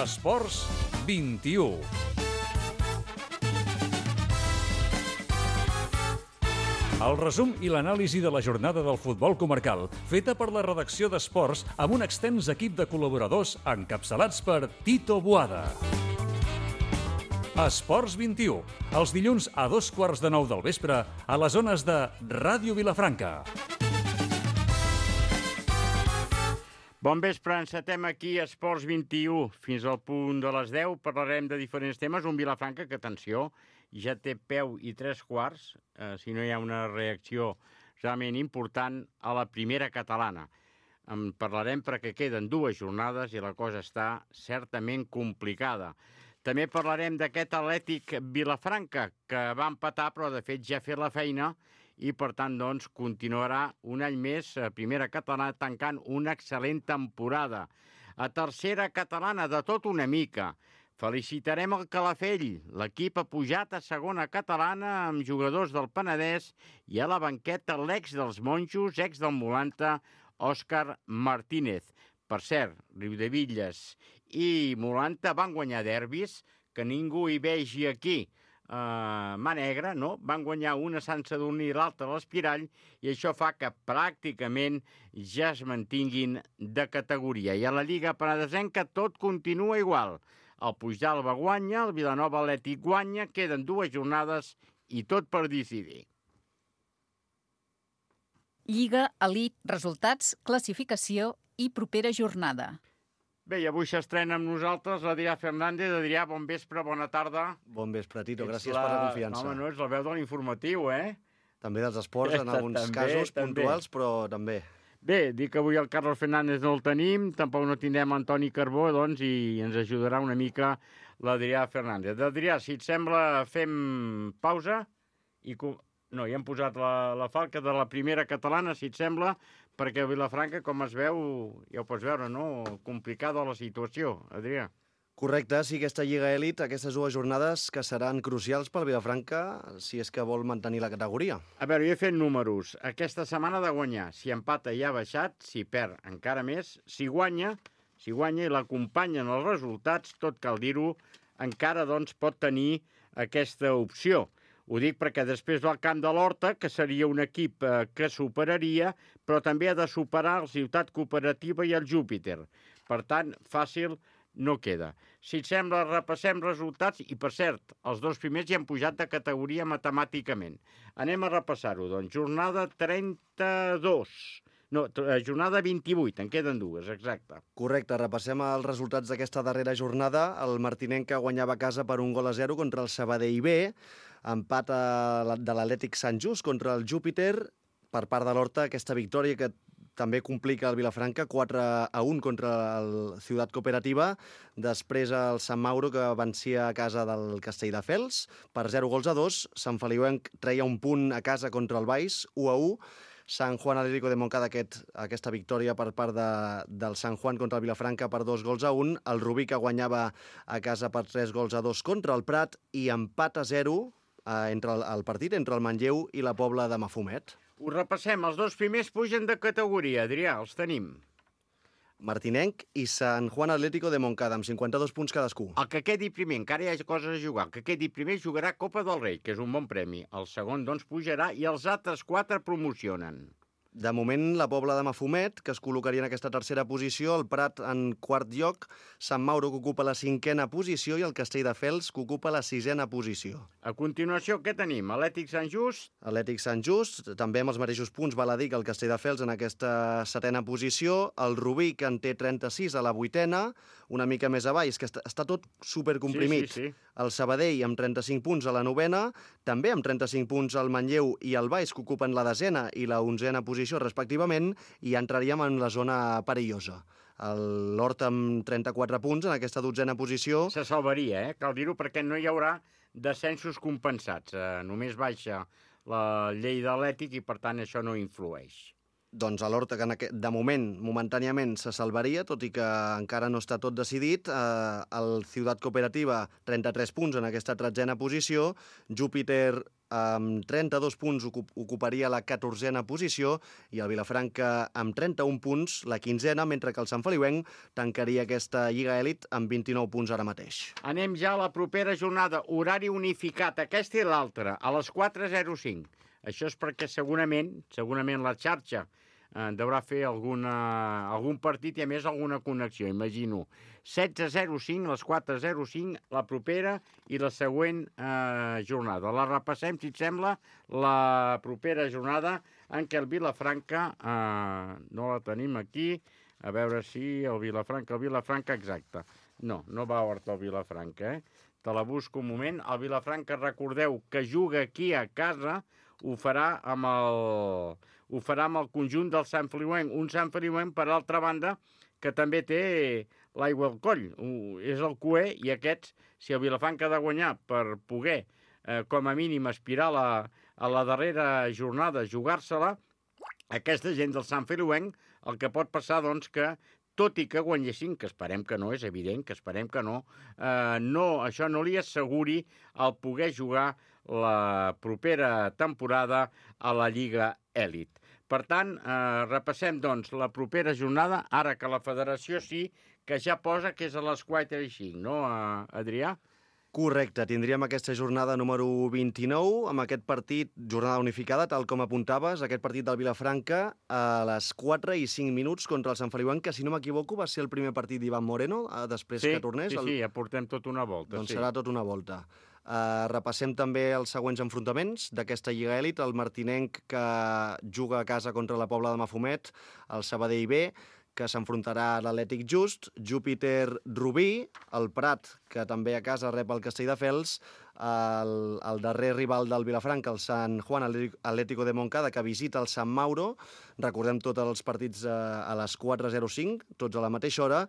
Esports 21. El resum i l'anàlisi de la jornada del futbol comarcal, feta per la redacció d'Esports amb un extens equip de col·laboradors encapçalats per Tito Boada. Esports 21, els dilluns a 8:15 del vespre a les zones de Ràdio Vilafranca. Bon vespre, encetem aquí Esports 21. Fins al punt de les 10 parlarem de diferents temes. Un Vilafranca que, atenció, ja té peu i 3/4, si no hi ha una reacció realment important a la primera catalana. En parlarem perquè queden 2 jornades i la cosa està certament complicada. També parlarem d'aquest Atlètic Vilafranca, que va empatar, però de fet ja ha fet la feina i, per tant, doncs, continuarà un any més a primera catalana tancant una excel·lent temporada. A tercera catalana, de tot una mica. Felicitarem el Calafell. L'equip ha pujat a segona catalana amb jugadors del Penedès i a la banqueta l'ex dels Monjos, ex del Molanta, Òscar Martínez. Per cert, Riudevilles i Molanta van guanyar derbis, que ningú hi vegi aquí mà negra, no? Van guanyar una a Sant Sadurní i l'altra a l'Espirall i això fa que pràcticament ja es mantinguin de categoria. I a la Lliga Penedesenca tot continua igual. El Puigdàlber guanya, el Vilanova Atlètic guanya, queden 2 jornades i tot per decidir. Lliga, elit, resultats, classificació i propera jornada. Bé, i avui s'estrena amb nosaltres l'Adrià Fernández. Adrià, bon vespre, bona tarda. Bon vespre, Tito, gràcies per la confiança. No, ets la veu de l'informatiu, També dels esports, en alguns casos puntuals, però també. Bé, dic que avui el Carlos Fernández no el tenim, tampoc no tindrem Antoni Carbó, doncs, i ens ajudarà una mica l'Adrià Fernández. Adrià, si et sembla, fem pausa i... No, ja hem posat la falca de la primera catalana, si et sembla, perquè a Vilafranca, com es veu, ja ho pots veure, no? Complicada la situació, Adrià. Correcte, sí, aquesta Lliga Elit, aquestes 2 jornades que seran crucials pel Vilafranca si és que vol mantenir la categoria. A veure, jo he fet números. Aquesta setmana ha de guanyar. Si empata ja ha baixat, si perd encara més. Si guanya i l'acompanyen els resultats, tot cal dir-ho, encara doncs pot tenir aquesta opció. Ho dic perquè després va al camp de l'Horta, que seria un equip que superaria, però també ha de superar el Ciutat Cooperativa i el Júpiter. Per tant, fàcil no queda. Si et sembla, repassem resultats i, per cert, els 2 primers ja han pujat de categoria matemàticament. Anem a repassar-ho, doncs. Jornada 32. No, jornada 28, en queden 2, exacte. Correcte, repassem els resultats d'aquesta darrera jornada. El Martinenca guanyava a casa per 1-0 contra el Sabadell B, empat de l'Atlètic Sant Just contra el Júpiter. Per part de l'Horta, aquesta victòria que també complica el Vilafranca, 4-1 contra el Ciutat Cooperativa. Després el Sant Mauro, que vencia a casa del Castelldefels per 0-2. Sant Feliuenc treia un punt a casa contra el Baix, 1-1. Sant Juan Atlético de Montcada, aquesta victòria per part del Sant Juan contra el Vilafranca per 2-1. El Rubí, que guanyava a casa per 3-2 contra el Prat, i empat a 0 entre el partit entre el Manlleu i la Pobla de Mafumet. Ho repassem, els 2 primers pugen de categoria, Adrià, els tenim. Martinenc i Sant Juan Atlético de Montcada, amb 52 punts cadascú. El que quedi primer, encara hi ha coses a jugar, el que quedi primer jugarà Copa del Rei, que és un bon premi. El segon, doncs, pujarà i els altres 4 promocionen. De moment, la Pobla de Mafumet, que es col·locaria en aquesta tercera posició, el Prat en 4 lloc, Sant Mauro, que ocupa la 5a posició, i el Castelldefels, que ocupa la 6a posició. A continuació, què tenim? Atlètic Sant Just? Atlètic Sant Just, també amb els mateixos punts, val a dir que el Castelldefels en aquesta 7a posició, el Rubí, que en té 36 a la 8a, una mica més avall, és que està tot supercomprimit. Sí. El Sabadell amb 35 punts a la 9a, també amb 35 punts el Manlleu i el Baix, que ocupen la 10a i la 11a posició respectivament, i entraríem en la zona perillosa. L'Horta amb 34 punts en aquesta 12a posició. Se salvaria, cal dir-ho, perquè no hi haurà descensos compensats. Només baixa la llei d'Atlètic i, per tant, això no influeix. Doncs l'Horta, que de moment, momentàniament, se salvaria, tot i que encara no està tot decidit. El Ciutat Cooperativa, 33 punts en aquesta 13a posició. Júpiter amb 32 punts ocuparia la 14a posició i el Vilafranca amb 31 punts la 15a, mentre que el Sant Feliuenc tancaria aquesta Lliga Elit amb 29 punts ara mateix. Anem ja a la propera jornada, horari unificat, aquesta i l'altra, a les 4:05. Això és perquè segurament la xarxa deurà fer algun partit i, a més, alguna connexió, imagino. 16:05, les 4:05, la propera i la següent jornada. La repassem, si et sembla, la propera jornada en què el Vilafranca, no la tenim aquí, a veure si el Vilafranca exacte. No va a Horta el Vilafranca, Te la busco un moment. El Vilafranca, recordeu que juga aquí a casa, ho farà amb el conjunt del Sant Feliuenc. Un Sant Feliuenc, per altra banda, que també té l'aigua al coll. És el cuer i aquests, si el Vilafranca ha de guanyar per poder, com a mínim, aspirar a la darrera jornada, jugar-se-la, aquesta gent del Sant Feliuenc, el que pot passar, doncs, que tot i que guanyessin, que esperem que no, és evident que esperem que no, això no li asseguri el poder jugar la propera temporada a la Lliga Elit. Per tant, repassem, doncs, la propera jornada, ara que la federació sí que ja posa que és a les 4:05, no, Adrià? Correcte, tindríem aquesta jornada número 29, amb aquest partit, jornada unificada, tal com apuntaves, aquest partit del Vilafranca a les 4:05 contra el Sant Feliuenc, que, si no m'equivoco, va ser el primer partit d'Ivan Moreno, després que tornés. Sí, ja portem tot una volta. Doncs serà tot una volta. Repassem també els següents enfrontaments d'aquesta Lliga Elit, el Martinenc, que juga a casa contra la Pobla de Mafumet, el Sabadell B, que s'enfrontarà a l'Atlètic Just, Júpiter Rubí, el Prat, que també a casa rep el Castelldefels, el darrer rival del Vilafranca, el Sant Juan Atlético de Montcada, que visita el Sant Mauro. Recordem tots els partits a les 4:05, tots a la mateixa hora.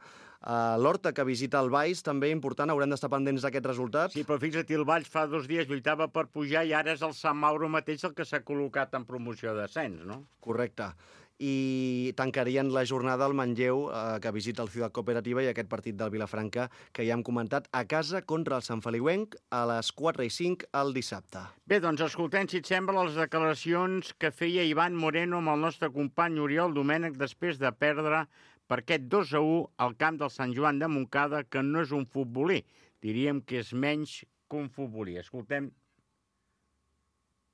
L'Horta, que visita el Valls, també important, haurem d'estar pendents d'aquest resultat. Sí, però fixa't, el Valls fa 2 dies lluitava per pujar i ara és el Sant Mauro mateix el que s'ha col·locat en promoció d'ascens, no? Correcte. I tancarien la jornada al Manlleu, que visita el Ciutat Cooperativa, i aquest partit del Vilafranca, que ja hem comentat, a casa contra el Sant Feliuenc a les 4:05 el dissabte. Bé, doncs escoltem, si et sembla, les declaracions que feia Ivan Moreno amb el nostre company Oriol Domènech després de perdre per aquest 2:1 al camp del Sant Joan de Montcada, que no és un futbolí. Diríem que és menys que un futbolí. Escoltem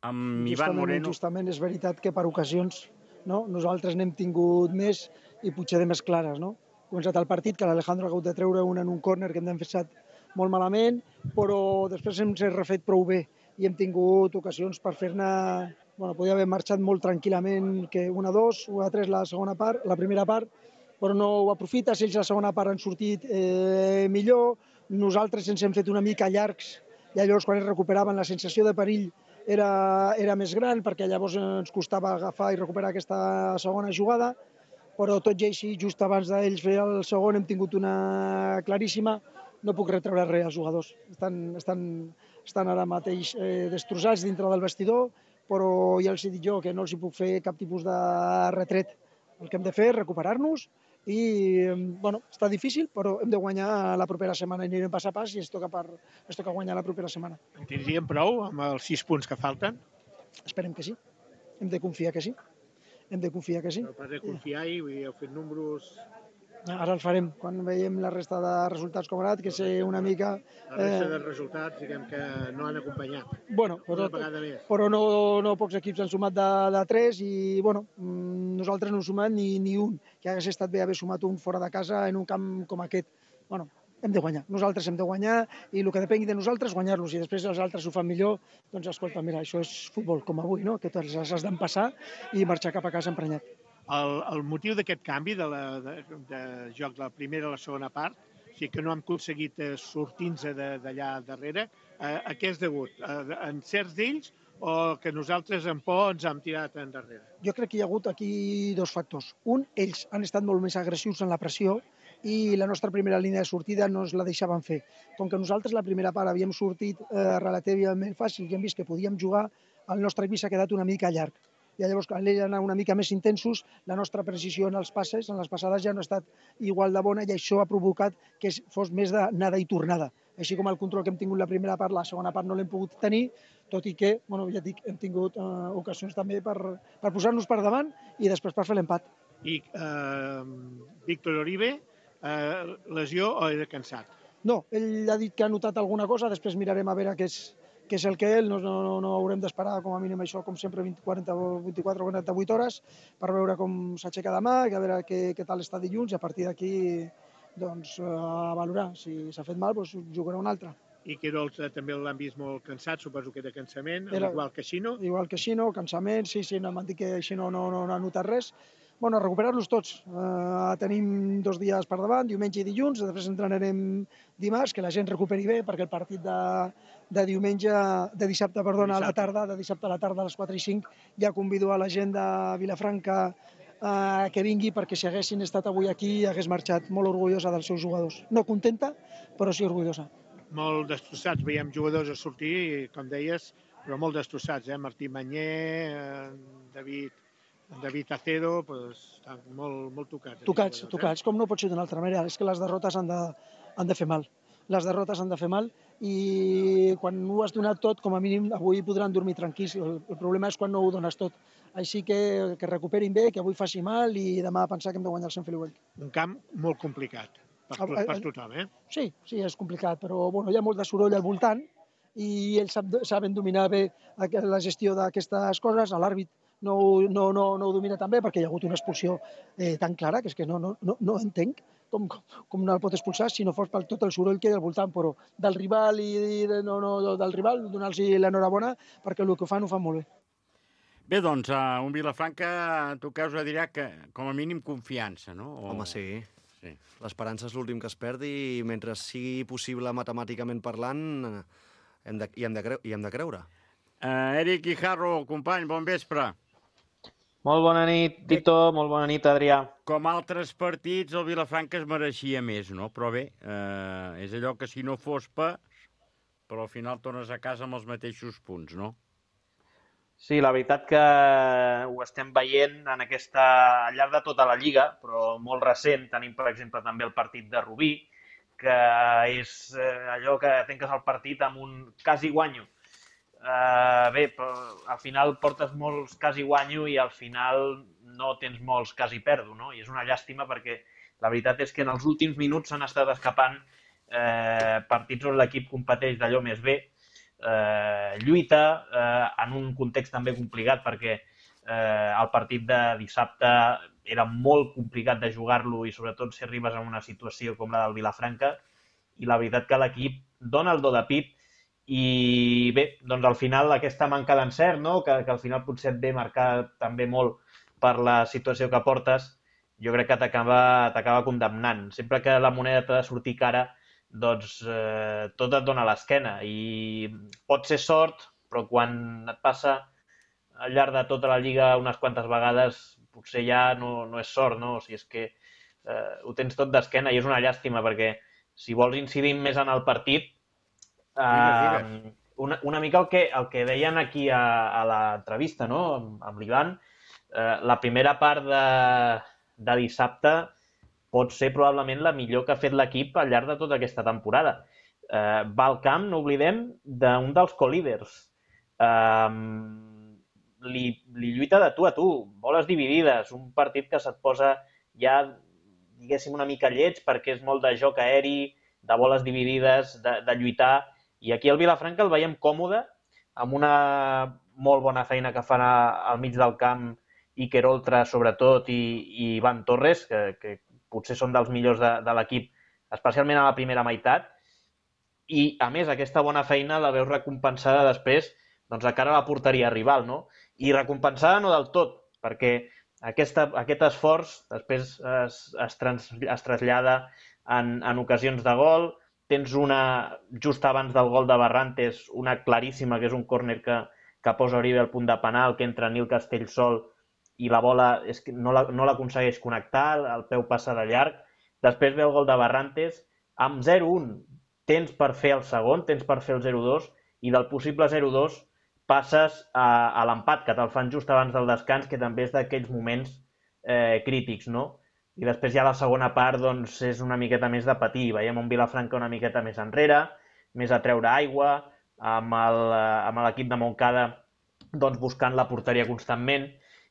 amb Ivan Moreno. Justament és veritat que per ocasions nosaltres n'hem tingut més i potser de més clares. Ha començat el partit, que l'Alejandro ha hagut de treure una en un córner que hem defensat molt malament, però després hem refet prou bé i hem tingut ocasions per fer-ne... Podia haver marxat molt tranquil·lament, que 1-2, 1-3 la primera part, però no ho aprofites, ells la segona part han sortit millor, nosaltres ens hem fet una mica llargs i llavors quan es recuperaven la sensació de perill era més gran, perquè llavors ens costava agafar i recuperar aquesta segona jugada, però tot i així, just abans d'ells fer el segon, hem tingut una claríssima. No puc retreure res als jugadors. Estan ara mateix destrossats dintre del vestidor, però ja els he dit jo que no els hi puc fer cap tipus de retret. El que hem de fer és recuperar-nos i, està difícil, però hem de guanyar la propera setmana i anirem pas a pas i ens toca guanyar la propera setmana. En tindríem prou amb els 6 punts que falten? Esperem que sí. Hem de confiar que sí. Però pas de confiar i heu fet números... Ara el farem, quan veiem la resta de resultats com ha anat, que sé una mica... La resta de resultats, diguem que no han acompanyat. Però no pocs equips han sumat de 3 i, nosaltres no hem sumat ni un, que hagués estat bé haver sumat un fora de casa en un camp com aquest. Hem de guanyar, nosaltres hem de guanyar i el que depengui de nosaltres, guanyar-los, i després els altres ho fan millor, doncs escolta, mira, això és futbol com avui, que tots els has d'empassar i marxar cap a casa emprenyat. El motiu d'aquest canvi de joc de la primera a la segona part, o sigui que no hem aconseguit sortir-nos d'allà darrere, a què és degut? En certs d'ells o que nosaltres en por ens hem tirat endarrere? Jo crec que hi ha hagut aquí 2 factors. Un, ells han estat molt més agressius en la pressió i la nostra primera línia de sortida no ens la deixaven fer. Com que nosaltres la primera part havíem sortit relativament fàcil i hem vist que podíem jugar, el nostre equip s'ha quedat una mica llarg. I llavors, quan ells han anat una mica més intensos, la nostra precisió en els passes, en les passades, ja no ha estat igual de bona i això ha provocat que fos més d'anada i tornada. així com el control que hem tingut la primera part, la segona part no l'hem pogut tenir, tot i que, ja et dic, hem tingut ocasions també per posar-nos per davant i després per fer l'empat. I Víctor Oribe, lesió o era cansat? No, ell ha dit que ha notat alguna cosa, després mirarem a veure què és el que no haurem d'esperar com a mínim això, com sempre, 24 o 48 hores per veure com s'aixeca demà, a veure què tal està dilluns i a partir d'aquí a valorar. Si s'ha fet mal, jugarà un altre. I Querol també l'han vist molt cansat, suposo que era cansament, igual que Xino. Igual que Xino, cansament, sí, m'han dit que Xino no ha notat res. Bueno, recuperar-los tots. Tenim 2 dies per davant, diumenge i dilluns, després entrenarem dimarts, que la gent recuperi bé, perquè el partit de dissabte a la tarda, a les 4 i 5, ja convido a la gent de Vilafranca que vingui, perquè si haguessin estat avui aquí hagués marxat molt orgullosa dels seus jugadors. No contenta, però sí orgullosa. Molt destrossats, veiem jugadors a sortir, com deies, però molt destrossats, Martí Manyer, David Acedo, estan molt tocats. Tocats, com no pot ser d'una altra manera. És que les derrotes han de fer mal. Les derrotes han de fer mal i quan ho has donat tot, com a mínim avui podran dormir tranquils. El problema és quan no ho dones tot. Així que recuperin bé, que avui faci mal i demà pensar que hem de guanyar el Sant Feliuenc. Un camp molt complicat per tothom, Sí, és complicat, però hi ha molt de soroll al voltant i ells saben dominar bé la gestió d'aquestes coses. L'àrbit no ho domina tan bé perquè hi ha hagut una expulsió tan clara que és que no entenc com no el pot expulsar si no fos per tot el soroll que hi ha al voltant, però del rival donar-los l'enhorabona perquè el que ho fan molt bé. Bé, doncs, un Vilafranca, tu creus, dirà que com a mínim confiança, no? Home, sí. L'esperança és l'últim que es perdi i mentre sigui possible matemàticament parlant, hi hem de creure. Eric Guijarro, company, bon vespre. Molt bona nit, Tito, molt bona nit, Adrià. Com altres partits, el Vilafranca es mereixia més, no? Però bé, és allò que si no fos però al final tornes a casa amb els mateixos punts, no? Sí, la veritat que ho estem veient al llarg de tota la Lliga, però molt recent. Tenim, per exemple, també el partit de Rubí, que és allò que tanques el partit amb un quasi guanyo. Bé, al final portes molts quasi guanyo i al final no tens molts quasi perdo, no? I és una llàstima perquè la veritat és que en els últims minuts s'han estat escapant partits on l'equip competeix d'allò més bé, lluita en un context també complicat perquè el partit de dissabte era molt complicat de jugar-lo i sobretot si arribes a una situació com la del Vilafranca i la veritat que l'equip dona el do de pit i bé, doncs al final aquesta manca d'encert, no? que al final potser et ve marcar també molt per la situació que portes, jo crec que t'acaba condemnant. Sempre que la moneda t'ha de sortir cara, doncs tot et dona a l'esquena i pot ser sort, però quan et passa al llarg de tota la Lliga unes quantes vegades potser ja no és sort, no? O sigui, és que ho tens tot d'esquena i és una llàstima perquè si vols incidir més en el partit, una mica el que deien aquí a l'entrevista, no? Amb l'Ivan, la primera part de dissabte pot ser probablement la millor que ha fet l'equip al llarg de tota aquesta temporada. Va al camp, no oblidem, d'un dels co-líders. Li lluita de tu a tu, boles dividides, un partit que se't posa ja, diguéssim, una mica lleig perquè és molt de joc aeri, de boles dividides, de lluitar. I aquí el Vilafranca el veiem còmode, amb una molt bona feina que fan al mig del camp Iker Oltra, sobretot, i Ivan Torres, que potser són dels millors de l'equip, especialment a la primera meitat. I, a més, aquesta bona feina la veus recompensada després de cara a la porteria rival, no? I recompensada no del tot, perquè aquest esforç després es trasllada en ocasions de gol. Tens una, just abans del gol de Barrantes, una claríssima, que és un córner que posa Oribe al punt de penal, que entra Nil Castellsol i la bola no l'aconsegueix connectar, el peu passa de llarg. Després ve el gol de Barrantes, amb 0-1 tens per fer el segon, tens per fer el 0-2, i del possible 0-2 passes a l'empat, que te'l fan just abans del descans, que també és d'aquells moments crítics, no? I després ja la segona part doncs, és una miqueta més de patir. Veiem un Vilafranca una miqueta més enrere, més a treure aigua, amb l'equip de Montcada doncs, buscant la porteria constantment,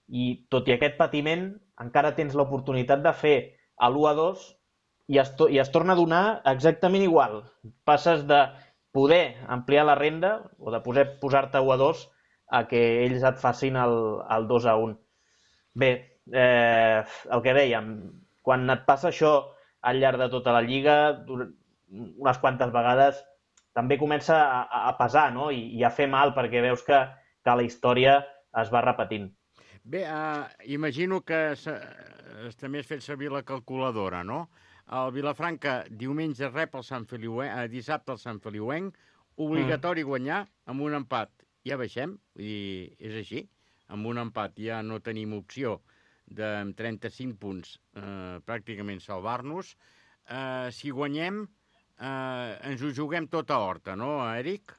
i tot i aquest patiment encara tens l'oportunitat de fer l'1-2 i es torna a donar exactament igual. Passes de poder ampliar la renda o de posar-te 1-2 a que ells et facin el 2-1. Bé, el que dèiem, quan et passa això al llarg de tota la Lliga, unes quantes vegades, també comença a pesar, no? I a fer mal, perquè veus que la història es va repetint. Bé, imagino que també has fet servir la calculadora, no? El Vilafranca diumenge rep el Sant Feliuenc, dissabte el Sant Feliuenc, obligatori guanyar amb un empat. Ja baixem, vull dir, és així. Amb un empat ja no tenim opció de 35 punts pràcticament salvar-nos. Si guanyem, ens ho juguem tot a Horta, no, Eric?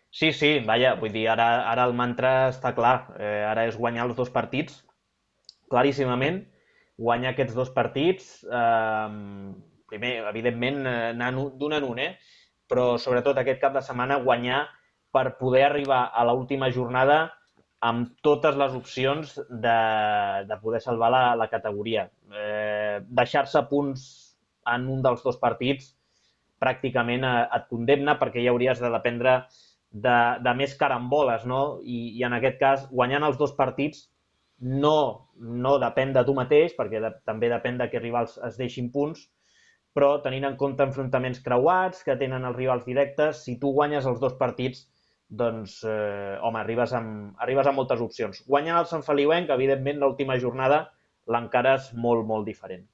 Sí, vaja, vull dir, ara el mantra està clar. Ara és guanyar els 2 partits, claríssimament. Guanyar aquests 2 partits, primer, evidentment, anar d'un en un, però sobretot aquest cap de setmana guanyar per poder arribar a l'última jornada amb totes les opcions de poder salvar la categoria. Deixar-se punts en un dels 2 partits pràcticament et condemna, perquè ja hauries de dependre de més caramboles, no? I en aquest cas, guanyant els 2 partits no depèn de tu mateix, perquè també depèn de que rivals es deixin punts, però tenint en compte enfrontaments creuats que tenen els rivals directes, si tu guanyes els 2 partits, doncs, home, arribes amb moltes opcions. Guanyant el Sant Feliuenc, evidentment, l'última jornada l'encara és molt, molt diferent.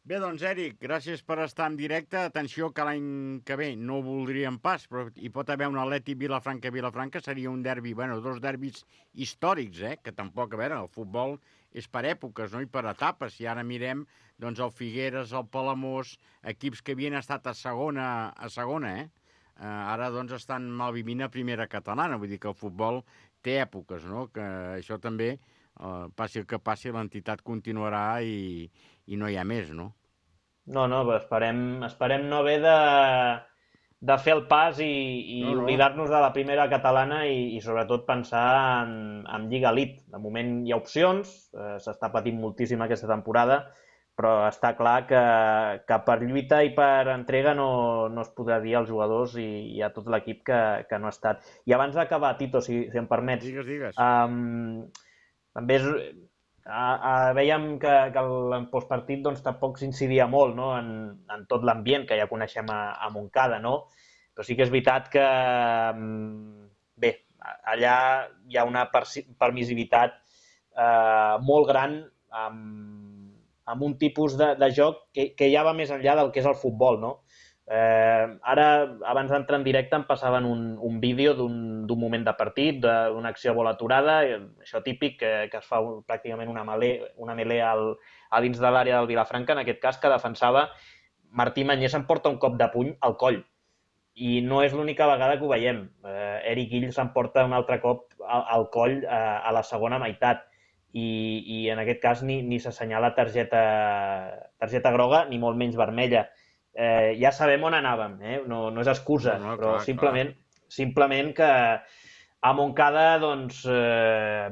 Bé, doncs, Eric, gràcies per estar en directe. Atenció que l'any que ve no ho voldríem pas, però hi pot haver un Atlètic Vilafranca-Vilafranca, seria un derbi, bueno, 2 derbis històrics, que tampoc, a veure, el futbol és per èpoques, no?, i per etapes. Si ara mirem, doncs, el Figueres, el Palamós, equips que havien estat a segona, ara, doncs, estan malvivint a primera catalana, vull dir que el futbol té èpoques, no?, que això també, passi el que passi, l'entitat continuarà i no hi ha més, no? No, esperem no haver de fer el pas i oblidar-nos de la primera catalana i sobretot pensar en Lliga Elite. De moment hi ha opcions, s'està patint moltíssim aquesta temporada, però està clar que per lluita i per entrega no es podrà dir als jugadors i a tot l'equip que no ha estat. I abans d'acabar, Tito, si em permets, digues. També veiem que el postpartit doncs, tampoc s'incidia molt, no?, en tot l'ambient que ja coneixem a Montcada, no? Però sí que és veritat que, bé, allà hi ha una permissivitat molt gran amb un tipus de joc que ja va més enllà del que és el futbol, no? Ara, abans d'entrar en directe, em passaven un vídeo d'un moment de partit, d'una acció a bola aturada, això típic, que es fa pràcticament una melé a dins de l'àrea del Vilafranca, en aquest cas, que defensava Martí Mañé, s'emporta un cop de puny al coll. I no és l'única vegada que ho veiem. Eric Gill s'emporta un altre cop al coll a la segona meitat. I en aquest cas ni s'assenyala targeta groga, ni molt menys vermella. Ja sabem on anàvem, no és excusa, però simplement que a Montcada, doncs,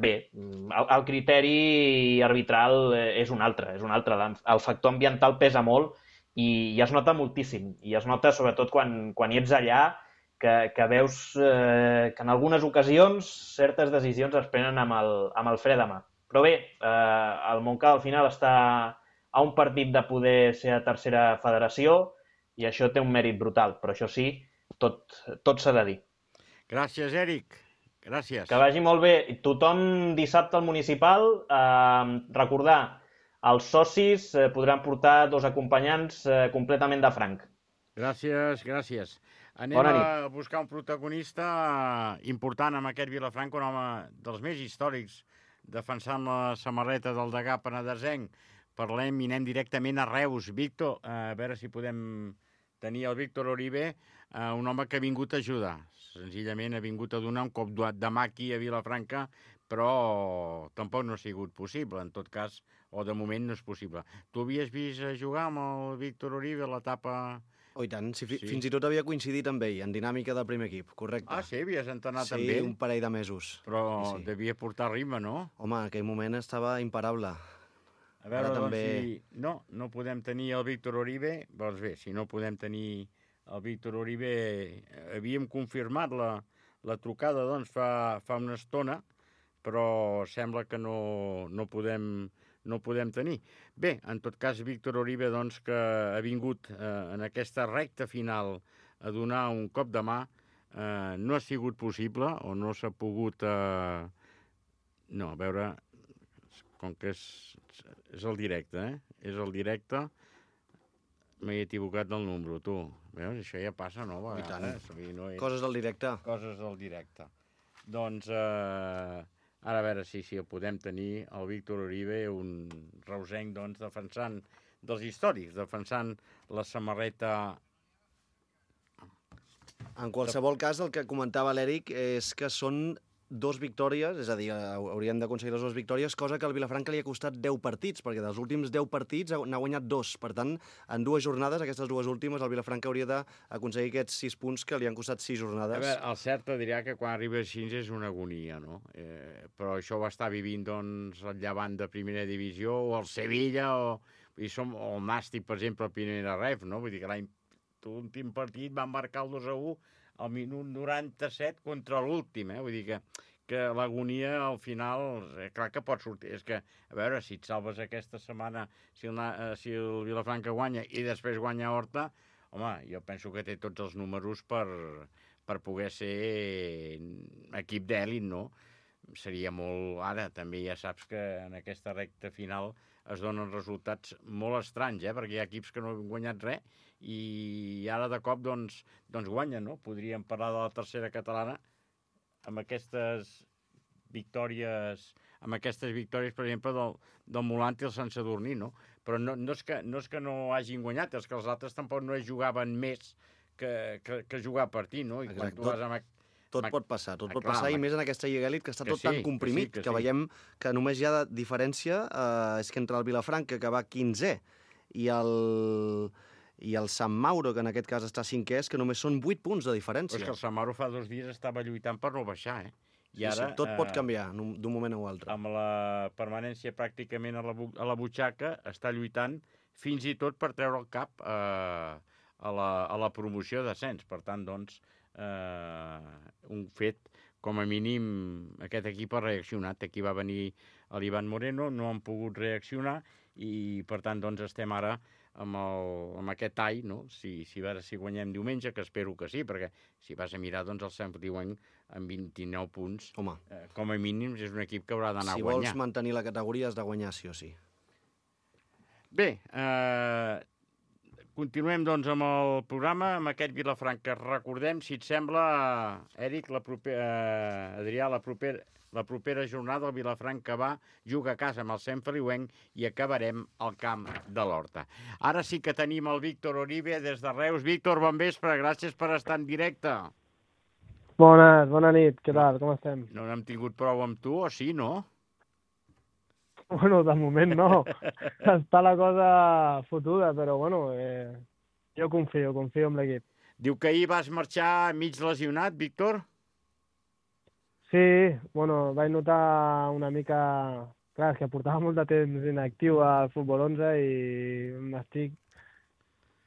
bé, el criteri arbitral és un altre. El factor ambiental pesa molt i es nota moltíssim, i es nota sobretot quan hi ets allà, que veus que en algunes ocasions certes decisions es prenen amb el fre de mà. Però bé, el Montcada al final està a un partit de poder ser a tercera federació i això té un mèrit brutal, però això sí, tot s'ha de dir. Gràcies, Eric. Gràcies. Que vagi molt bé. Tothom dissabte al municipal, recordar, els socis podran portar 2 acompanyants completament de franc. Gràcies. Anem a buscar un protagonista important amb aquest Vilafranca, un home dels més històrics, defensant la samarreta del degà penedesenc. Parlem i anem directament a Reus. Víctor, a veure si podem tenir el Víctor Oribe, un home que ha vingut a ajudar. Senzillament ha vingut a donar un cop de mà aquí a Vilafranca, però tampoc no ha sigut possible, en tot cas, o de moment no és possible. Tu havies vist jugar amb el Víctor Oribe a l'etapa Oh, i tant, fins i tot havia coincidit amb ell, en dinàmica del primer equip, correcte. Ah, sí? Havies entrenat amb ell? Sí, un parell de mesos. Però devia portar rima, no? Home, en aquell moment estava imparable. A veure, doncs, si no podem tenir el Víctor Uribe, doncs bé, si no podem tenir el Víctor Uribe, havíem confirmat la trucada, doncs, fa una estona, però sembla que no podem tenir. Bé, en tot cas, Víctor Uribe, doncs, que ha vingut en aquesta recta final a donar un cop de mà, no ha sigut possible, o no s'ha pogut... No, a veure, com que és el directe, És el directe, m'he equivocat del número, tu. Veus, això ja passa, no? I tant. Coses del directe. Coses del directe. Doncs... Ara a veure si el podem tenir, el Víctor Uribe, un reusenc, doncs, defensant dels històrics, defensant la samarreta... En qualsevol cas, el que comentava l'Eric és que són 2 victòries, és a dir, hauríem d'aconseguir les 2 victòries, cosa que al Vilafranca li ha costat 10 partits, perquè dels últims 10 partits n'ha guanyat 2. Per tant, en 2 jornades, aquestes 2 últimes, el Vilafranca hauria d'aconseguir aquests 6 punts que li han costat 6 jornades. A veure, el cert et dirà que quan arriba a 6 és una agonia, no? Però això ho està vivint, doncs, el Llevant de primera divisió, o el Sevilla, o el Nàstic, per exemple, a primera ref, no? Vull dir que l'últim partit van marcar el 2-1 al minut 97 contra l'últim, Vull dir que l'agonia al final, clar que pot sortir. És que, a veure, si et salves aquesta setmana, si el Vilafranca guanya i després guanya Horta, home, jo penso que té tots els números per poder ser equip d'èlit, no? Seria molt... Ara, també ja saps que en aquesta recta final es donen resultats molt estranys, perquè hi ha equips que no han guanyat res i ara de cop doncs guanyen, no? Podríem parlar de la tercera catalana amb aquestes victòries, per exemple, del Molant i el Sant Sadurní, no? Però no és que no hagin guanyat, és que els altres tampoc no jugaven més que jugar a partit, no? I quan tu vas amb... Tot pot passar, i més en aquesta Lliga Elit, que està tot tan comprimit, que veiem que només hi ha diferència, és que entre el Vilafranca, que va 15è, i el Sant Mauro, que en aquest cas està 5è, és que només són 8 punts de diferència. Però és que el Sant Mauro fa 2 dies estava lluitant per no baixar, I ara, tot pot canviar d'un moment a l'altre. Amb la permanència pràcticament a la butxaca, està lluitant fins i tot per treure el cap a la promoció d'ascens. Per tant, doncs, un fet, com a mínim, aquest equip ha reaccionat. Aquí va venir l'Ivan Moreno, no han pogut reaccionar i, per tant, doncs, estem ara amb aquest tall, no? Si guanyem diumenge, que espero que sí, perquè si vas a mirar, doncs el Sant Feliuenc amb 29 punts, home, com a mínims és un equip que haurà d'anar a guanyar. Si vols mantenir la categoria has de guanyar sí o sí. Bé, continuem doncs amb el programa, amb aquest Vilafranca. Recordem, si et sembla, Eric, Adrià, la propera jornada el Vilafranca juga a casa amb el Sant Feliuenc i acabarem al camp de l'Horta. Ara sí que tenim el Víctor Uribe des de Reus. Víctor, bon vespre, gràcies per estar en directe. Bona nit, què tal, com estem? No n'hem tingut prou amb tu, o sí, no? Bueno, de moment no. Està la cosa fotuda, però bueno, jo confio en l'equip. Diu que ahir vas marxar mig lesionat, Víctor? Sí, bueno, vaig notar una mica... Clar, és que portava molt de temps inactiu al Futbol 11 i m'estic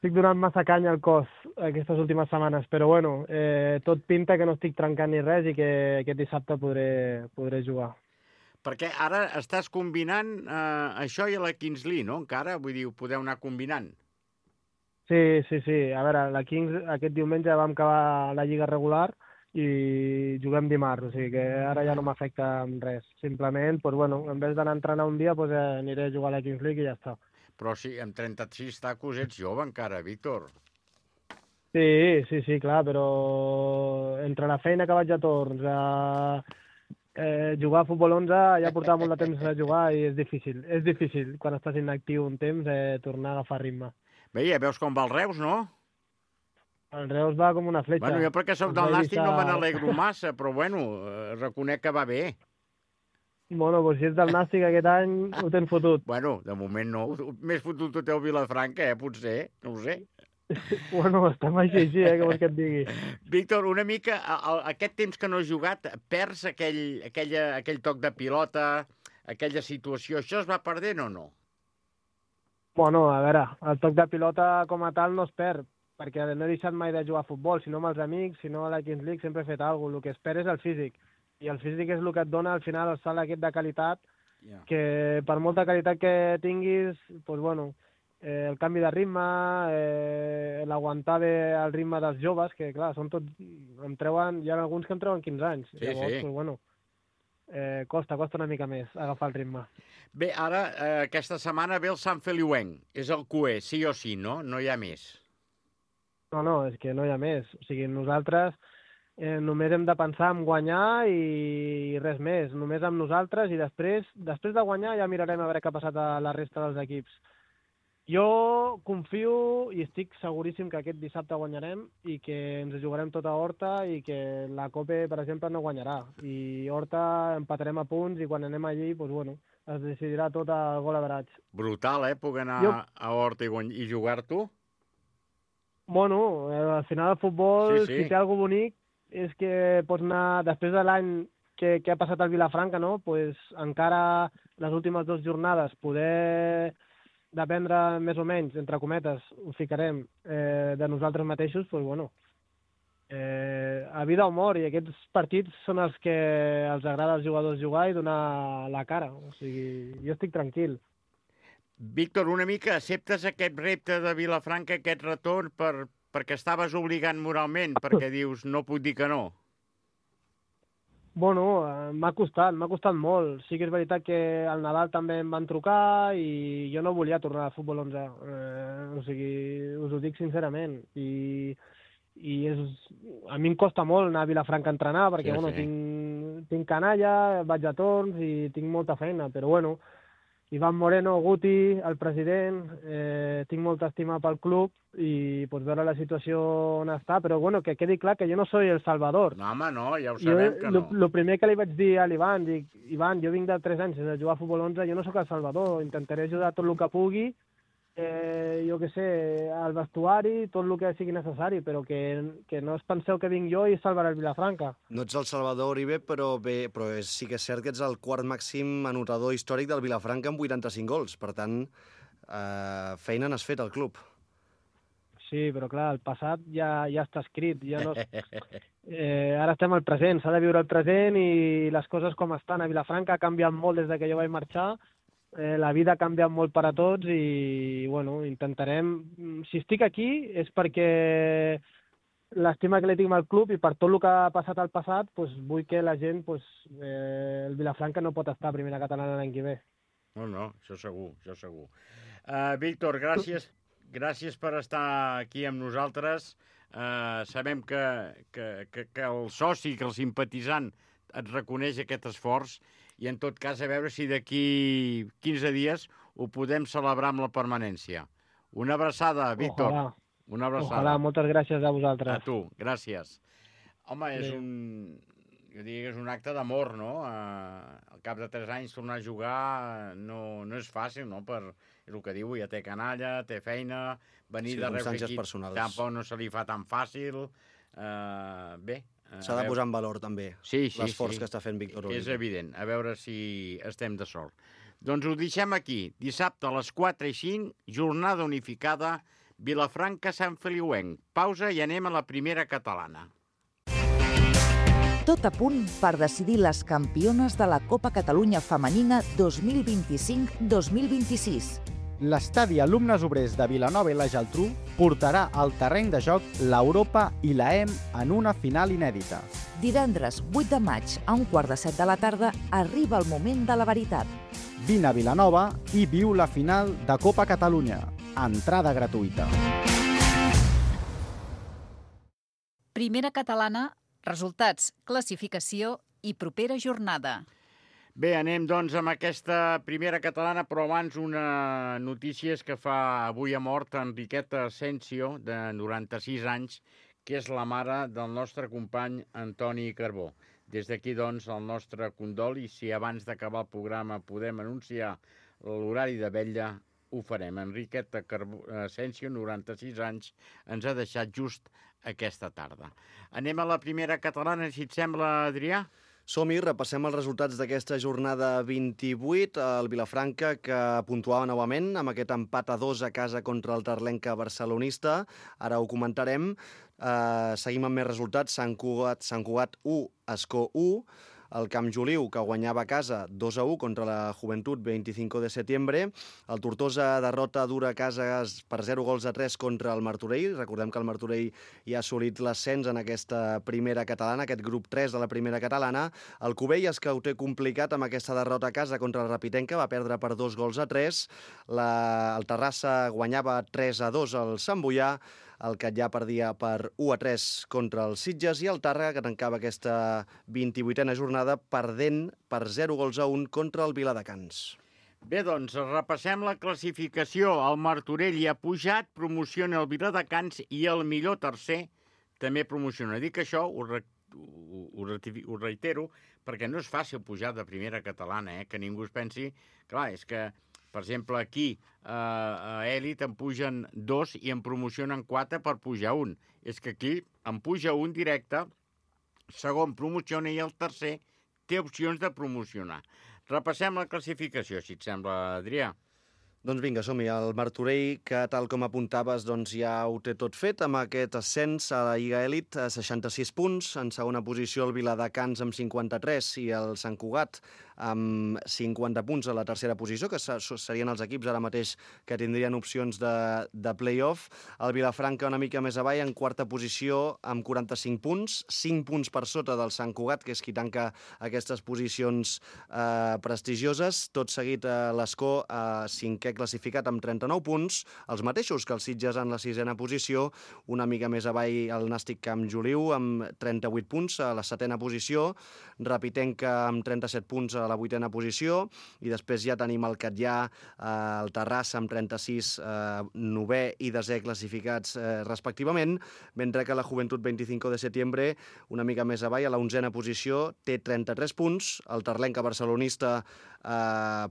donant massa canya al cos aquestes últimes setmanes, però bueno, tot pinta que no estic trencant ni res i que aquest dissabte podré jugar. Perquè ara estàs combinant això i la Kingsley, no? Encara, vull dir, ho podeu anar combinant. Sí. A veure, la Kings aquest diumenge vam acabar la lliga regular i juguem dimarts, o sigui que ara ja no m'afecta res. Simplement, doncs, bueno, en vez d'anar a entrenar un dia, doncs, aniré a jugar a la Kings League i ja està. Però sí, amb 36 tacos ets jove encara, Víctor. Sí, clar, però entre la feina que vaig a torns, jugar a Futbol 11, ja portava molt de temps a jugar i és difícil quan estàs inactiu un temps tornar a agafar ritme. Bé, ja veus com va el Reus, no? El Reus va com una fletxa. Bueno, jo perquè soc del Nàstic no me n'alegro massa, però bueno, reconec que va bé. Bueno, doncs si ets del Nàstic aquest any ho tens fotut. Bueno, de moment no. Més fotut ho té el Vilafranca, potser, no ho sé. Bueno, estem així, què vols que et digui? Víctor, una mica, aquest temps que no has jugat, perds aquell toc de pilota, aquella situació, això es va perdent o no? Bueno, a veure, el toc de pilota com a tal no es perd, perquè no he deixat mai de jugar a futbol, sinó amb els amics, sinó a la Kings League sempre he fet alguna cosa. El que es perd és el físic, i el físic és el que et dona al final el salt aquest de qualitat, que per molta qualitat que tinguis, doncs bueno, el canvi de ritme, l'aguantar bé el ritme dels joves, que clar, són tots, hi ha alguns que em treuen 15 anys. Sí, llavors, sí. doncs bueno, costa una mica més agafar el ritme. Bé, ara, aquesta setmana ve el Sant Feliuenc. És el cué, sí o sí, no? No hi ha més. No, és que no hi ha més. O sigui, nosaltres només hem de pensar en guanyar i res més. Només amb nosaltres i després de guanyar ja mirarem a veure què ha passat a la resta dels equips. Jo confio i estic seguríssim que aquest dissabte guanyarem i que ens jugarem tota Horta i que la Copa, per exemple, no guanyarà. I Horta empatarem a punts i quan anem allí, doncs bueno, es decidirà tot a gol average. Brutal, poder anar a Horta i jugar-t'ho? Bueno, al final el futbol, si té alguna bonic, és que pots anar, després de l'any que ha passat al Vilafranca, no? Pues encara les últimes 2 jornades poder dependre més o menys, entre cometes, ho ficarem, de nosaltres mateixos, doncs bueno, a vida o mort, i aquests partits són els que els agrada als jugadors jugar i donar la cara. O sigui, jo estic tranquil. Víctor, una mica acceptes aquest repte de Vilafranca, aquest retorn, perquè estaves obligant moralment, perquè dius, no puc dir que no? Bueno, m'ha costat molt. Sí que és veritat que al Nadal també em van trucar i jo no volia tornar al futbol 11. O sigui, us ho dic sincerament. I a mi em costa molt anar a Vilafranca a entrenar perquè tinc canalla, vaig a torns i tinc molta feina, però bueno, Iván Moreno, Guti, el president, tinc molta estima pel club i pots veure la situació on està, però bueno, que quedi clar que jo no soy el Salvador. No, home, no, ja ho sabem que no. El primer que li vaig dir a l'Ivan, dic, Ivan, jo vinc de 3 anys sense jugar a futbol 11, jo no sóc el Salvador, intentaré ajudar tot el que pugui, jo què sé, al vestuari, tot el que sigui necessari, però que no us penseu que vinc jo i salvaré el Vilafranca. No ets el Salvador Uribe, però sí que és cert que ets el quart màxim anotador històric del Vilafranca amb 85 gols. Per tant, feina n'has fet al club. Sí, però clar, el passat ja està escrit. Ja no... ara estem al present, s'ha de viure el present i les coses com estan a Vilafranca ha canviat molt des que jo vaig marxar. La vida ha canviat molt per a tots i, bueno, intentarem... Si estic aquí és perquè l'estima que li tinc al club i per tot el que ha passat al passat, doncs vull que la gent, el Vilafranca no pot estar a primera catalana l'any que ve. No, això segur, això segur. Víctor, gràcies per estar aquí amb nosaltres. Sabem que el soci, que el simpatitzant et reconeix aquest esforç i en tot cas a veure si d'aquí 15 dies ho podem celebrar amb la permanència. Una abraçada, Víctor. Ojalà. Una abraçada. Ojalà, moltes gràcies a vosaltres. A tu, gràcies. Home, jo diria que és un acte d'amor, no? Al cap de 3 anys tornar a jugar no és fàcil, no? És el que diu, ja té canalla, té feina, venir d'arreu d'aquí tampoc no se li fa tan fàcil. Bé, s'ha de posar en valor també l'esforç que està fent Víctor Uribe. És evident, a veure si estem de sort. Doncs ho deixem aquí. Dissabte a les 4:05, jornada unificada, Vilafranca-Sant Feliuenc. Pausa i anem a la primera catalana. Tot a punt per decidir les campiones de la Copa Catalunya Femenina 2025-2026. L'estadi Alumnes Obrers de Vilanova i la Geltrú portarà al terreny de joc l'Europa i la EM en una final inèdita. Divendres 8 de maig a 1:15 de la tarda arriba el moment de la veritat. Vine a Vilanova i viu la final de Copa Catalunya. Entrada gratuïta. Primera catalana, resultats, classificació i propera jornada. Bé, anem doncs amb aquesta primera catalana, però abans una notícia és que avui ha mort Enriqueta Asensio, de 96 anys, que és la mare del nostre company Antoni Carbó. Des d'aquí, doncs, el nostre condol, i si abans d'acabar el programa podem anunciar l'horari de vetlla, ho farem. Enriqueta Asensio, 96 anys, ens ha deixat just aquesta tarda. Anem a la primera catalana, si et sembla, Adrià? Som-hi, repassem els resultats d'aquesta jornada 28. El Vilafranca, que puntuava novament amb aquest empat a 2 a casa contra el Terlenca barcelonista. Ara ho comentarem. Seguim amb més resultats. Sant Cugat 1, Ascó 1. El Camp Joliu, que guanyava a casa 2-1 contra la Joventut 25 de setembre. El Tortosa derrota dura a casa per 0-3 contra el Martorell. Recordem que el Martorell ja ha assolit l'ascens en aquesta primera catalana, aquest grup 3 de la primera catalana. El Cubelles, que ho té complicat amb aquesta derrota a casa contra el Rapitenca, va perdre per 2-3. El Terrassa guanyava 3-2 al Sant Boià. El Catllà perdia per 1-3 contra els Sitges i el Tàrrega, que tancava aquesta 28a jornada perdent per 0-1 contra el Viladecans. Bé, doncs, repassem la classificació. El Martorell hi ha pujat, promociona el Viladecans i el millor tercer també promociona. Dic això, ho reitero, perquè no és fàcil pujar de primera catalana, que ningú es pensi... Clar, és que, per exemple, aquí a Elit en pugen 2 i en promocionen 4 per pujar 1. És que aquí en puja 1 directe, segon promociona i el tercer té opcions de promocionar. Repassem la classificació, si et sembla, Adrià. Doncs vinga, som-hi. El Martorell, que tal com apuntaves, doncs ja ho té tot fet amb aquest ascens a la Lliga Elit, a 66 punts. En segona posició el Viladecans amb 53 i el Sant Cugat amb 50 punts a la tercera posició, que serien els equips ara mateix que tindrien opcions de play-off. El Vilafranca una mica més avall, en quarta posició, amb 45 punts, 5 punts per sota del Sant Cugat, que és qui tanca aquestes posicions prestigioses. Tot seguit l'Escó, cinquè classificat amb 39 punts, els mateixos que els Sitges en la sisena posició, una mica més avall el Nàstic Camp Joliu amb 38 punts a la setena posició, Rapitenca amb 37 punts a la vuitena posició, i després ja tenim el Catllà, el Terrassa amb 36, novè i desè classificats respectivament, mentre que la Joventut 25 de setembre, una mica més avall, a la onzena posició, té 33 punts, el Terlenca barcelonista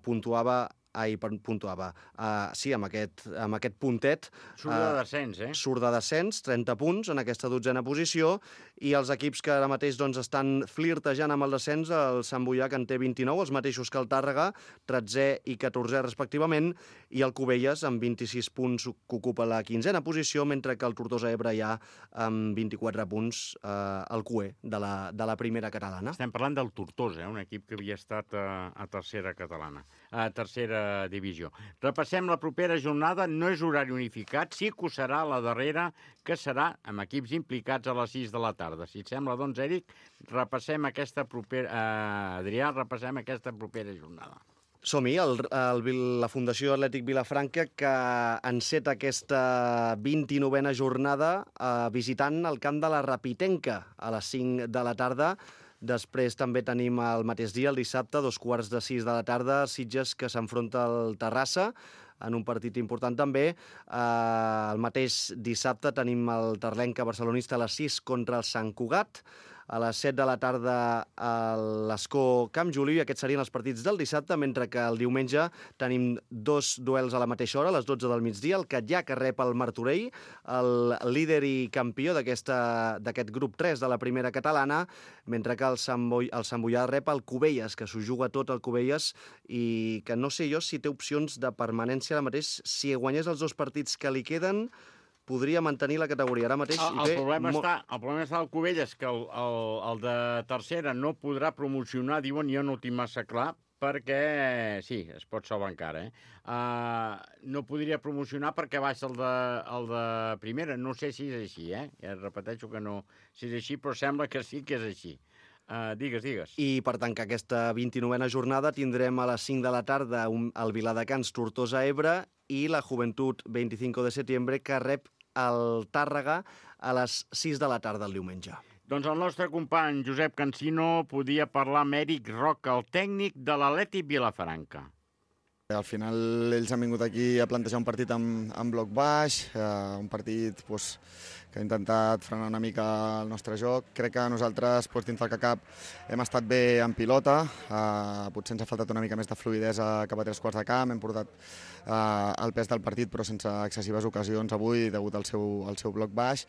puntuava, amb aquest puntet. Surt de descens, Surt de descens, 30 punts en aquesta dotzena posició, i els equips que ara mateix estan flirtejant amb el descens, el Sant Boià, que en té 29, els mateixos que el Tàrrega, 13è i 14è respectivament, i el Cubelles, amb 26 punts, que ocupa la quinzena posició, mentre que el Tortosa Ebre ja amb 24 punts al QE de la primera catalana. Estem parlant del Tortosa, un equip que havia estat a tercera catalana, a tercera divisió. Repassem la propera jornada, no és horari unificat, sí que ho serà la darrera, que serà amb equips implicats a les 6 de la tarda. Si et sembla, doncs, Eric, repassem aquesta propera... Adrià, repassem aquesta propera jornada. Som-hi, la Fundació Atlètic Vilafranca, que enceta aquesta 29a jornada visitant el camp de la Rapitenca a les 5 de la tarda. Després també tenim el mateix dia, el dissabte, 5:45 de la tarda, Sitges, que s'enfronta al Terrassa, en un partit important també. El mateix dissabte tenim el Terlenca barcelonista a les 6 contra el Sant Cugat. A les 7 de la tarda l'Escó Camp Joliu, i aquests serien els partits del dissabte, mentre que el diumenge tenim 2 duels a la mateixa hora, a les 12 del migdia, el Catllà, que rep el Martorell, el líder i campió d'aquest grup 3 de la primera catalana, mentre que el Sant Boià rep el Cubelles, que s'ho juga tot el Cubelles, i que no sé jo si té opcions de permanència ara mateix. Si guanyés els 2 partits que li queden, podria mantenir la categoria. Ara mateix el problema està al Cubelles, que el de tercera no podrà promocionar, diuen, jo no ho tinc massa clar, perquè, sí, es pot salvar encara, no podria promocionar perquè baix el de primera. No sé si és així, ja repeteixo que no, si és així, però sembla que sí que és així. Digues. I per tancar aquesta 29a jornada tindrem a les 5 de la tarda el Viladecans Tortosa Ebre i la Joventut 25 de setembre, que rep el Tàrrega a les 6 de la tarda el diumenge. Doncs el nostre company Josep Cansino podia parlar amb Eric Roca, el tècnic de l'Atlètic Vilafranca. Al final ells han vingut aquí a plantejar un partit en bloc baix, un partit que ha intentat frenar una mica el nostre joc. Crec que nosaltres, dins del que cap, hem estat bé en pilota, potser ens ha faltat una mica més de fluïdesa cap a 3/4 de camp, hem portat el pes del partit però sense excessives ocasions avui degut al seu bloc baix,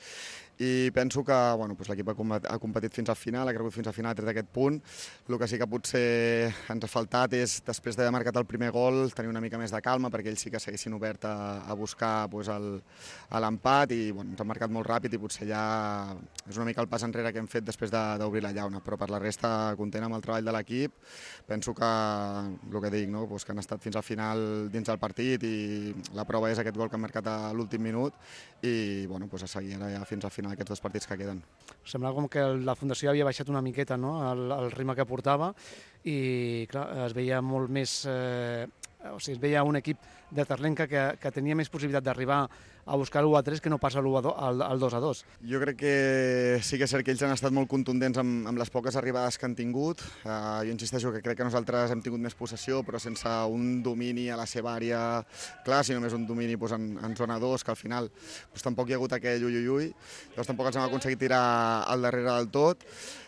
i penso que l'equip ha competit fins al final, ha cregut fins al final, ha tret aquest punt. El que sí que potser ens ha faltat és, després d'haver marcat el primer gol, tenir una mica més de calma, perquè ells sí que s'haguessin obert a buscar l'empat, i ens han marcat molt ràpid i potser ja és una mica el pas enrere que hem fet després d'obrir la llauna, però per la resta content amb el treball de l'equip. Penso que, el que dic, que han estat fins al final dins del partit, i la prova és aquest gol que han marcat a l'últim minut, i a seguir ara ja fins al final aquests 2 partits que queden. Sembla com que la Fundació havia baixat una miqueta, no?, el ritme que portava, i clar, es veia molt més... es veia un equip de Terlenca que tenia més possibilitat d'arribar a buscar l'1-3 que no passa al 2-2. Jo crec que sí que és cert que ells han estat molt contundents amb les poques arribades que han tingut. Jo insisteixo que crec que nosaltres hem tingut més possessió, però sense un domini a la seva àrea clar, sinó més un domini en zona 2, que al final tampoc hi ha hagut aquell ui. Llavors tampoc els hem aconseguit tirar al darrere del tot.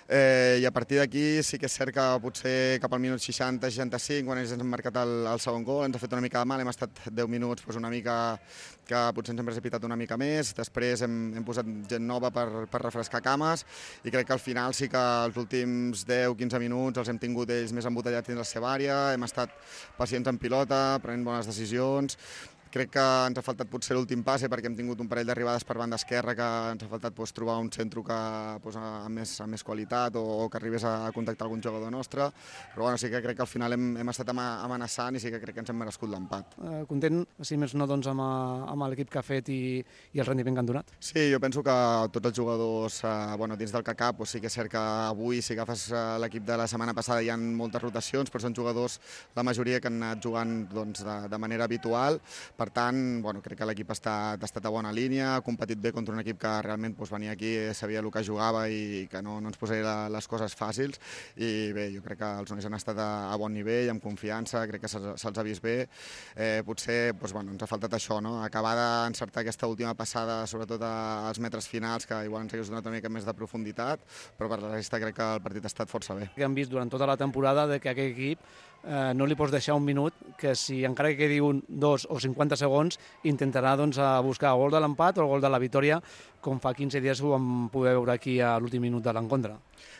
I a partir d'aquí sí que és cert que potser cap al minut 60-65, quan ells ens han marcat el segon gol, ens ha fet una mica de mal, hem estat 10 minuts una mica que potser ens hem precipitat una mica més, després hem posat gent nova per refrescar cames, i crec que al final sí que els últims 10-15 minuts els hem tingut ells més embotellats dins la seva àrea, hem estat pacients en pilota, prenent bones decisions. Crec que ens ha faltat potser l'últim passe, perquè hem tingut un parell d'arribades per banda esquerra que ens ha faltat trobar un centre amb més qualitat o que arribés a contactar algun jugador nostre, però sí que crec que al final hem estat amenaçant, i sí que crec que ens hem merescut l'empat. Content, si més no, amb l'equip que ha fet i el rendiment que han donat? Sí, jo penso que tots els jugadors, dins del que cap, sí que és cert que avui, si agafes l'equip de la setmana passada, hi ha moltes rotacions, però són jugadors, la majoria, que han anat jugant de manera habitual. Per tant, crec que l'equip ha estat a bona línia, ha competit bé contra un equip que realment venia aquí, sabia el que jugava i que no ens posaria les coses fàcils, i bé, jo crec que els nois han estat a bon nivell, amb confiança, crec que se'ls ha vist bé. Potser ens ha faltat això, acabar d'encertar aquesta última passada, sobretot als metres finals, que igual ens hagués donat una mica més de profunditat, però per la resta crec que el partit ha estat força bé. Hem vist durant tota la temporada que aquest equip no li pots deixar un minut, que si encara que quedi 1, 2 o 50 segons intentarà buscar el gol de l'empat o el gol de la victòria, com fa 15 dies ho vam poder veure aquí a l'últim minut de l'encontre.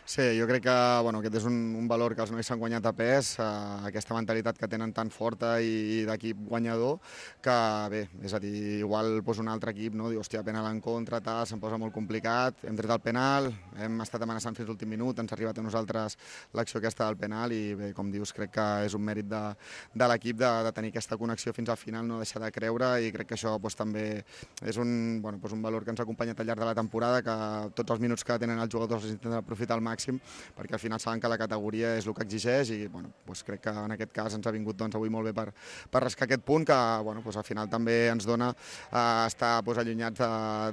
Sí, jo crec que aquest és un valor que els nois s'han guanyat a pes, aquesta mentalitat que tenen tan forta i d'equip guanyador, que bé, és a dir, igual un altre equip diu, hòstia, penal en contra, se'm posa molt complicat, hem tret el penal, hem estat amenaçant fins l'últim minut, ens ha arribat a nosaltres l'acció aquesta del penal, i bé, com dius, crec que és un mèrit de l'equip de tenir aquesta connexió fins al final, no deixar de creure, i crec que això també és un valor que ens ha acompanyat al llarg de la temporada, que tots els minuts que tenen els jugadors els intenten aprofitar al màxim, perquè al final saben que la categoria és el que exigeix, i crec que en aquest cas ens ha vingut avui molt bé per rascar aquest punt, que al final també ens dona estar allunyats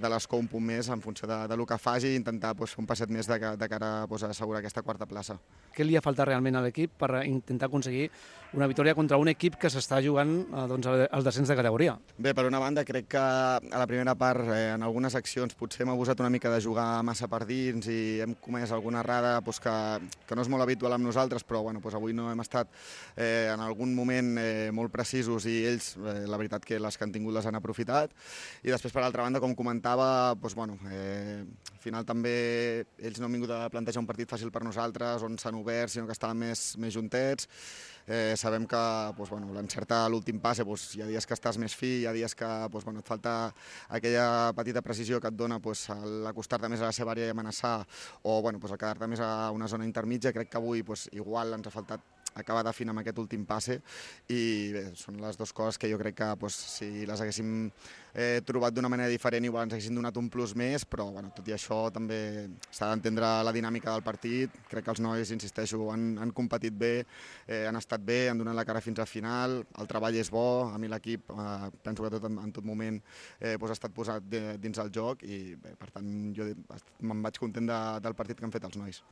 de l'escó un punt més en funció del que faci, i intentar fer un passet més de cara a assegurar aquesta quarta plaça. Què li ha faltat realment a l'equip per intentar aconseguir una victòria contra un equip que s'està jugant el descens de categoria? Bé, per una banda, crec que a la primera part, en algunes accions, potser hem abusat una mica de jugar massa per dins i hem comès alguna errada que no és molt habitual amb nosaltres, però avui no hem estat en algun moment molt precisos, i ells, la veritat, que les que han tingut les han aprofitat. I després, per altra banda, com comentava, al final també ells no han vingut a plantejar un partit fàcil per nosaltres, on s'han obert, sinó que estaven més juntets. Sabem que l'encertar l'últim passe, hi ha dies que estàs més fi, hi ha dies que et falta aquella petita precisió que et dona l'acostar-te més a la seva àrea i amenaçar, o el quedar-te més a una zona intermitja. Crec que avui igual ens ha faltat acabar d'afinar amb aquest últim passe, i bé, són les dues coses que jo crec que si les haguéssim trobat d'una manera diferent igual ens haguessin donat un plus més, però tot i això també s'ha d'entendre la dinàmica del partit. Crec que els nois, insisteixo, han competit bé, han estat bé, han donat la cara fins al final, el treball és bo, a mi l'equip penso que en tot moment ha estat posat dins el joc, i bé, per tant jo me'n vaig content del partit que han fet els nois.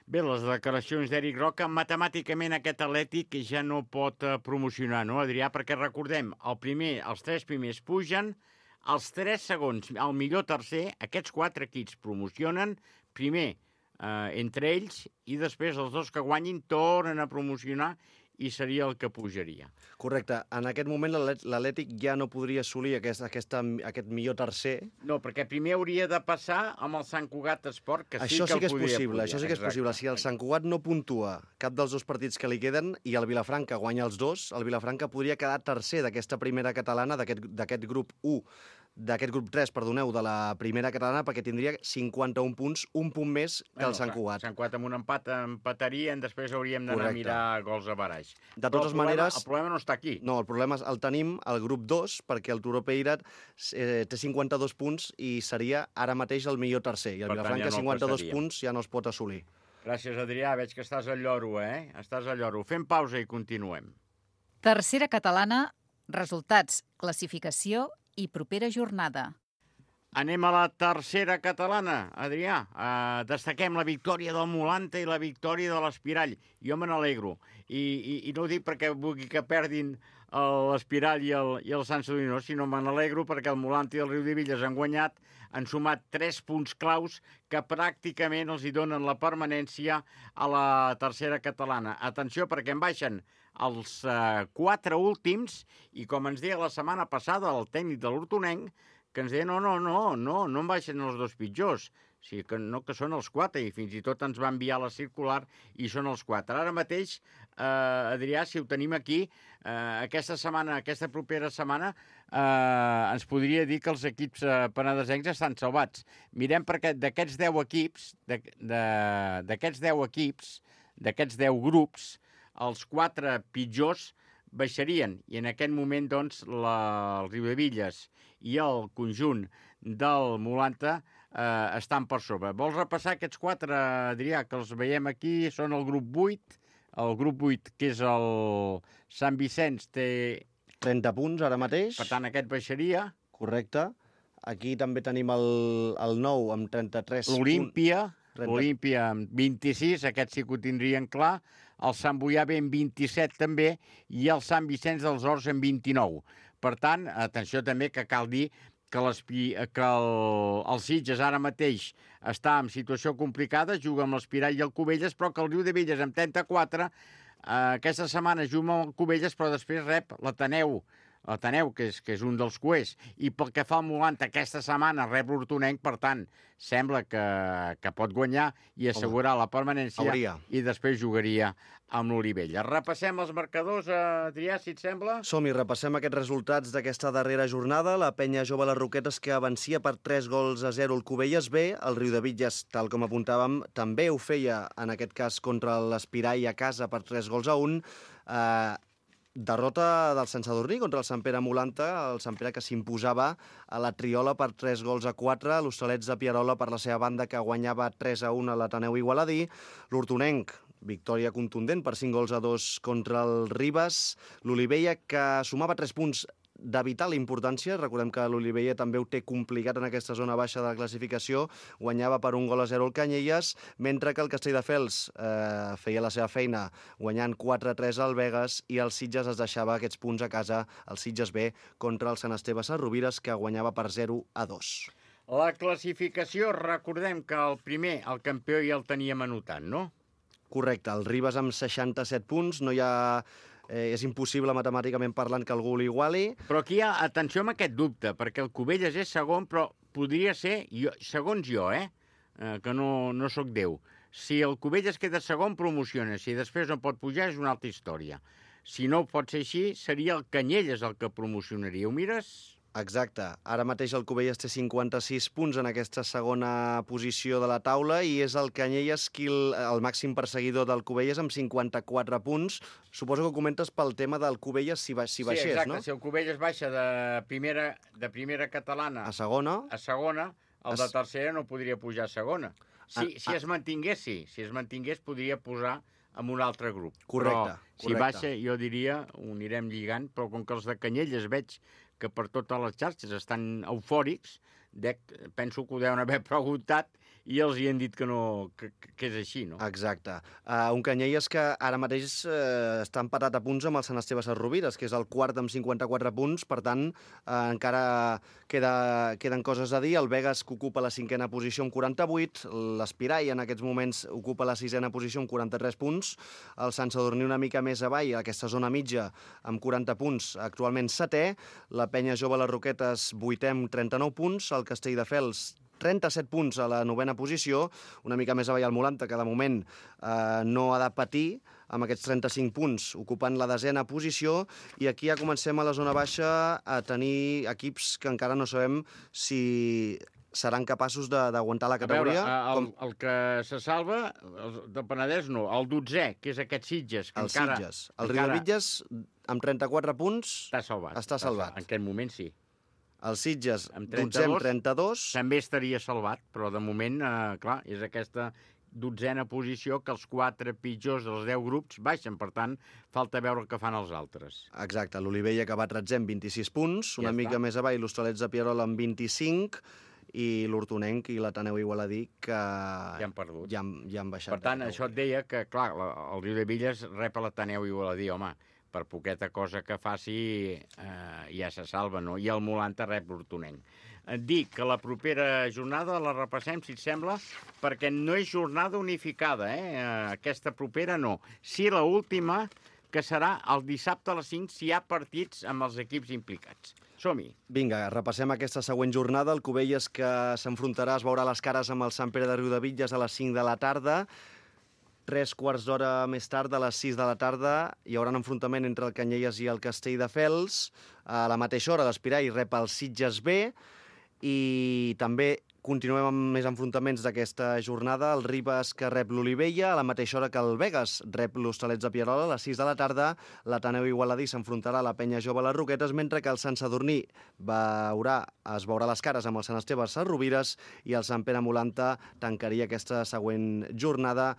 Bé, les declaracions d'Eric Roca, matemàticament aquest Atlètic ja no pot promocionar, no, Adrià? Perquè recordem, els 3 primers pugen, els 3 segons, el millor tercer, aquests 4 equips promocionen, primer entre ells, i després els 2 que guanyin tornen a promocionar i seria el que pujaria. Correcte. En aquest moment l'Atlètic ja no podria assolir aquest millor tercer. No, perquè primer hauria de passar amb el Sant Cugat Esport, que això sí que és possible. Això sí que és possible. Si el Sant Cugat no puntua cap dels 2 partits que li queden i el Vilafranca guanya els 2, el Vilafranca podria quedar tercer d'aquesta primera catalana, d'aquest grup 1, d'aquest grup 3, perdoneu, de la primera catalana, perquè tindria 51 punts, un punt més que el Sant Cugat. Sant Cugat amb un empat empatarien, després hauríem d'anar a mirar gols a baraix. De totes maneres... El problema no està aquí. No, el problema el tenim al grup 2, perquè el Turó Peirat té 52 punts i seria ara mateix el millor tercer, i el Vilafranca 52 punts ja no es pot assolir. Gràcies, Adrià. Veig que estàs al lloro, Estàs al lloro. Fem pausa i continuem. Tercera catalana, resultats, classificació i propera jornada. Anem a la tercera catalana, Adrià. Destaquem la victòria del Molanta i la victòria de l'Espirall. Jo me n'alegro. I no ho dic perquè vulgui que perdin l'Espirall i el Sant Sadurní, no, sinó me n'alegro perquè el Molanta i el Riudebitlles han guanyat, han sumat 3 punts claus que pràcticament els hi donen la permanència a la tercera catalana. Atenció, perquè en baixen els 4 últims, i com ens deia la setmana passada el tècnic de l'Hortonenc, que ens deia no em baixen els 2 pitjors, que són els 4, i fins i tot ens va enviar la circular i són els 4. Ara mateix, Adrià, si ho tenim aquí, aquesta propera setmana, ens podria dir que els equips penedesencs estan salvats. Mirem perquè d'aquests 10 equips, d'aquests 10 grups, els 4 pitjors baixarien, i en aquest moment, doncs, el Riudebitlles i el conjunt del Molanta estan per sobre. Vols repassar aquests 4, Adrià, que els veiem aquí? Són el grup 8, que és el Sant Vicenç, té 30 punts ara mateix. Per tant, aquest baixaria. Correcte. Aquí també tenim el 9 amb 33 punts. L'Olímpia amb 26, aquest sí que ho tindrien clar. El Sant Boià ve amb 27 també, i el Sant Vicenç dels Horts amb 29. Per tant, atenció també que cal dir que el Sitges ara mateix està en situació complicada, juga amb l'Espirall i el Cubelles, però que el Riudebitlles amb 34, aquesta setmana juga amb el Cubelles, però després rep l'Ateneu, que és un dels cuers. I pel que fa al Molanta, aquesta setmana rep l'Hortonenc, per tant, sembla que pot guanyar i assegurar la permanència, i després jugaria amb l'Olivella. Repassem els marcadors, Adrià, si et sembla? Som-hi, repassem aquests resultats d'aquesta darrera jornada. La Penya Jove Les Roquetes, que avencia per 3-0 el Cubelles B. El Riudebitlles, tal com apuntàvem, també ho feia, en aquest cas, contra l'Espirall a casa per 3-1. Derrota del Sant Sadurní contra el Sant Pere Molanta, el Sant Pere que s'imposava a la Triola per 3-4, l'Hostalets de Pierola per la seva banda que guanyava 3-1 a l'Ateneu Igualadí, l'Hortonenc, victòria contundent per 5-2 contra el Ribes, l'Olivella que sumava 3 punts de vital importància. Recordem que l'Olivella també ho té complicat en aquesta zona baixa de la classificació, guanyava per 1-0 el Canyelles, mentre que el Castelldefels feia la seva feina guanyant 4-3 al Begues, i el Sitges es deixava aquests punts a casa, el Sitges B, contra el Sant Esteve Sesrovires, que guanyava per 0-2. La classificació, recordem que el primer, el campió, ja el teníem anotat, no? Correcte, el Ribes amb 67 punts, no hi ha... és impossible matemàticament parlant que algú l'iguali. Però aquí hi ha, atenció amb aquest dubte, perquè el Cubelles és segon, però podria ser, segons jo, que no sóc Déu. Si el Cubelles queda segon, promociona. Si després no pot pujar, és una altra història. Si no pot ser així, seria el Canyelles el que promocionaria. Ho mires? Exacte. Ara mateix el Cubelles té 56 punts en aquesta segona posició de la taula, i és el Canyelles el màxim perseguidor del Cubelles amb 54 punts. Suposo que ho comentes pel tema del Cubelles si baixés, no? Sí, exacte. Si el Cubelles baixa de primera catalana a segona, el de tercera no podria pujar a segona. Si es mantingués, sí. Si es mantingués, podria posar en un altre grup. Correcte. Però si baixa, jo diria, ho anirem lligant, però com que els de Canyelles veig que per totes les xarxes estan eufòrics, penso que ho deuen haver preguntat i els hi han dit que no, que és així, no? Exacte. Un Canyelles que ara mateix està empatat a punts amb el Sant Esteve Sesrovires, que és el quart amb 54 punts, per tant, encara queden coses a dir. El Begues, que ocupa la 5ª posició amb 48, l'Espirai en aquests moments ocupa la 6ª posició amb 43 punts, el Sant Sadurní una mica més avall, aquesta zona mitja, amb 40 punts, actualment 7è, la Penya Jove Les Roquetes 8è amb 39 punts, el Castelldefels 37 punts a la 9ª posició, una mica més avall al Molanta, que de moment no ha de patir, amb aquests 35 punts, ocupant la 10ª posició, i aquí ja comencem a la zona baixa a tenir equips que encara no sabem si seran capaços d'aguantar la categoria. A veure, el que se salva, del Penedès no, el 12è, que és aquest Sitges. El Sitges. El Riudebitlles, amb 34 punts, està salvat. En aquest moment sí. El Sitges, 12è amb 32. També estaria salvat, però de moment, clar, és aquesta 12ª posició que els 4 pitjors dels 10 grups baixen. Per tant, falta veure el que fan els altres. Exacte, l'Olivella que va 13è amb 26 punts, una mica més avall l'Hostalets de Pierola amb 25, i l'Hortonenc i l'Ateneu Igualadí que ja han perdut. Ja han baixat. Per tant, això et deia que, clar, el Riudebitlles rep l'Ateneu Igualadí, home, per poqueta cosa que faci ja se salva, no? I el Molanta rep l'Hortonenc. Et dic que la propera jornada la repassem, si et sembla, perquè no és jornada unificada, aquesta propera no. Sí, l'última, que serà el dissabte a les 5, si hi ha partits amb els equips implicats. Som-hi. Vinga, repassem aquesta següent jornada. El Cubelles, que s'enfrontarà, es veurà les cares amb el Sant Pere de Riudebitlles a les 5 de la tarda. 3 quarts d'hora més tard, a les 6 de la tarda, hi haurà un enfrontament entre el Canyelles i el Castelldefels. A la mateixa hora, l'Espirai rep el Sitges B, i també continuem amb més enfrontaments d'aquesta jornada. El Ribes, que rep l'Olivella, a la mateixa hora que el Begues rep l'Hostalets de Pierola. A les 6 de la tarda, l'Ateneu Igualadí s'enfrontarà a la Penya Jove Les Roquetes, mentre que el Sant Sadurní es veurà les cares amb el Sant Esteve Sesrovires, i el Sant Pere Molanta tancaria aquesta següent jornada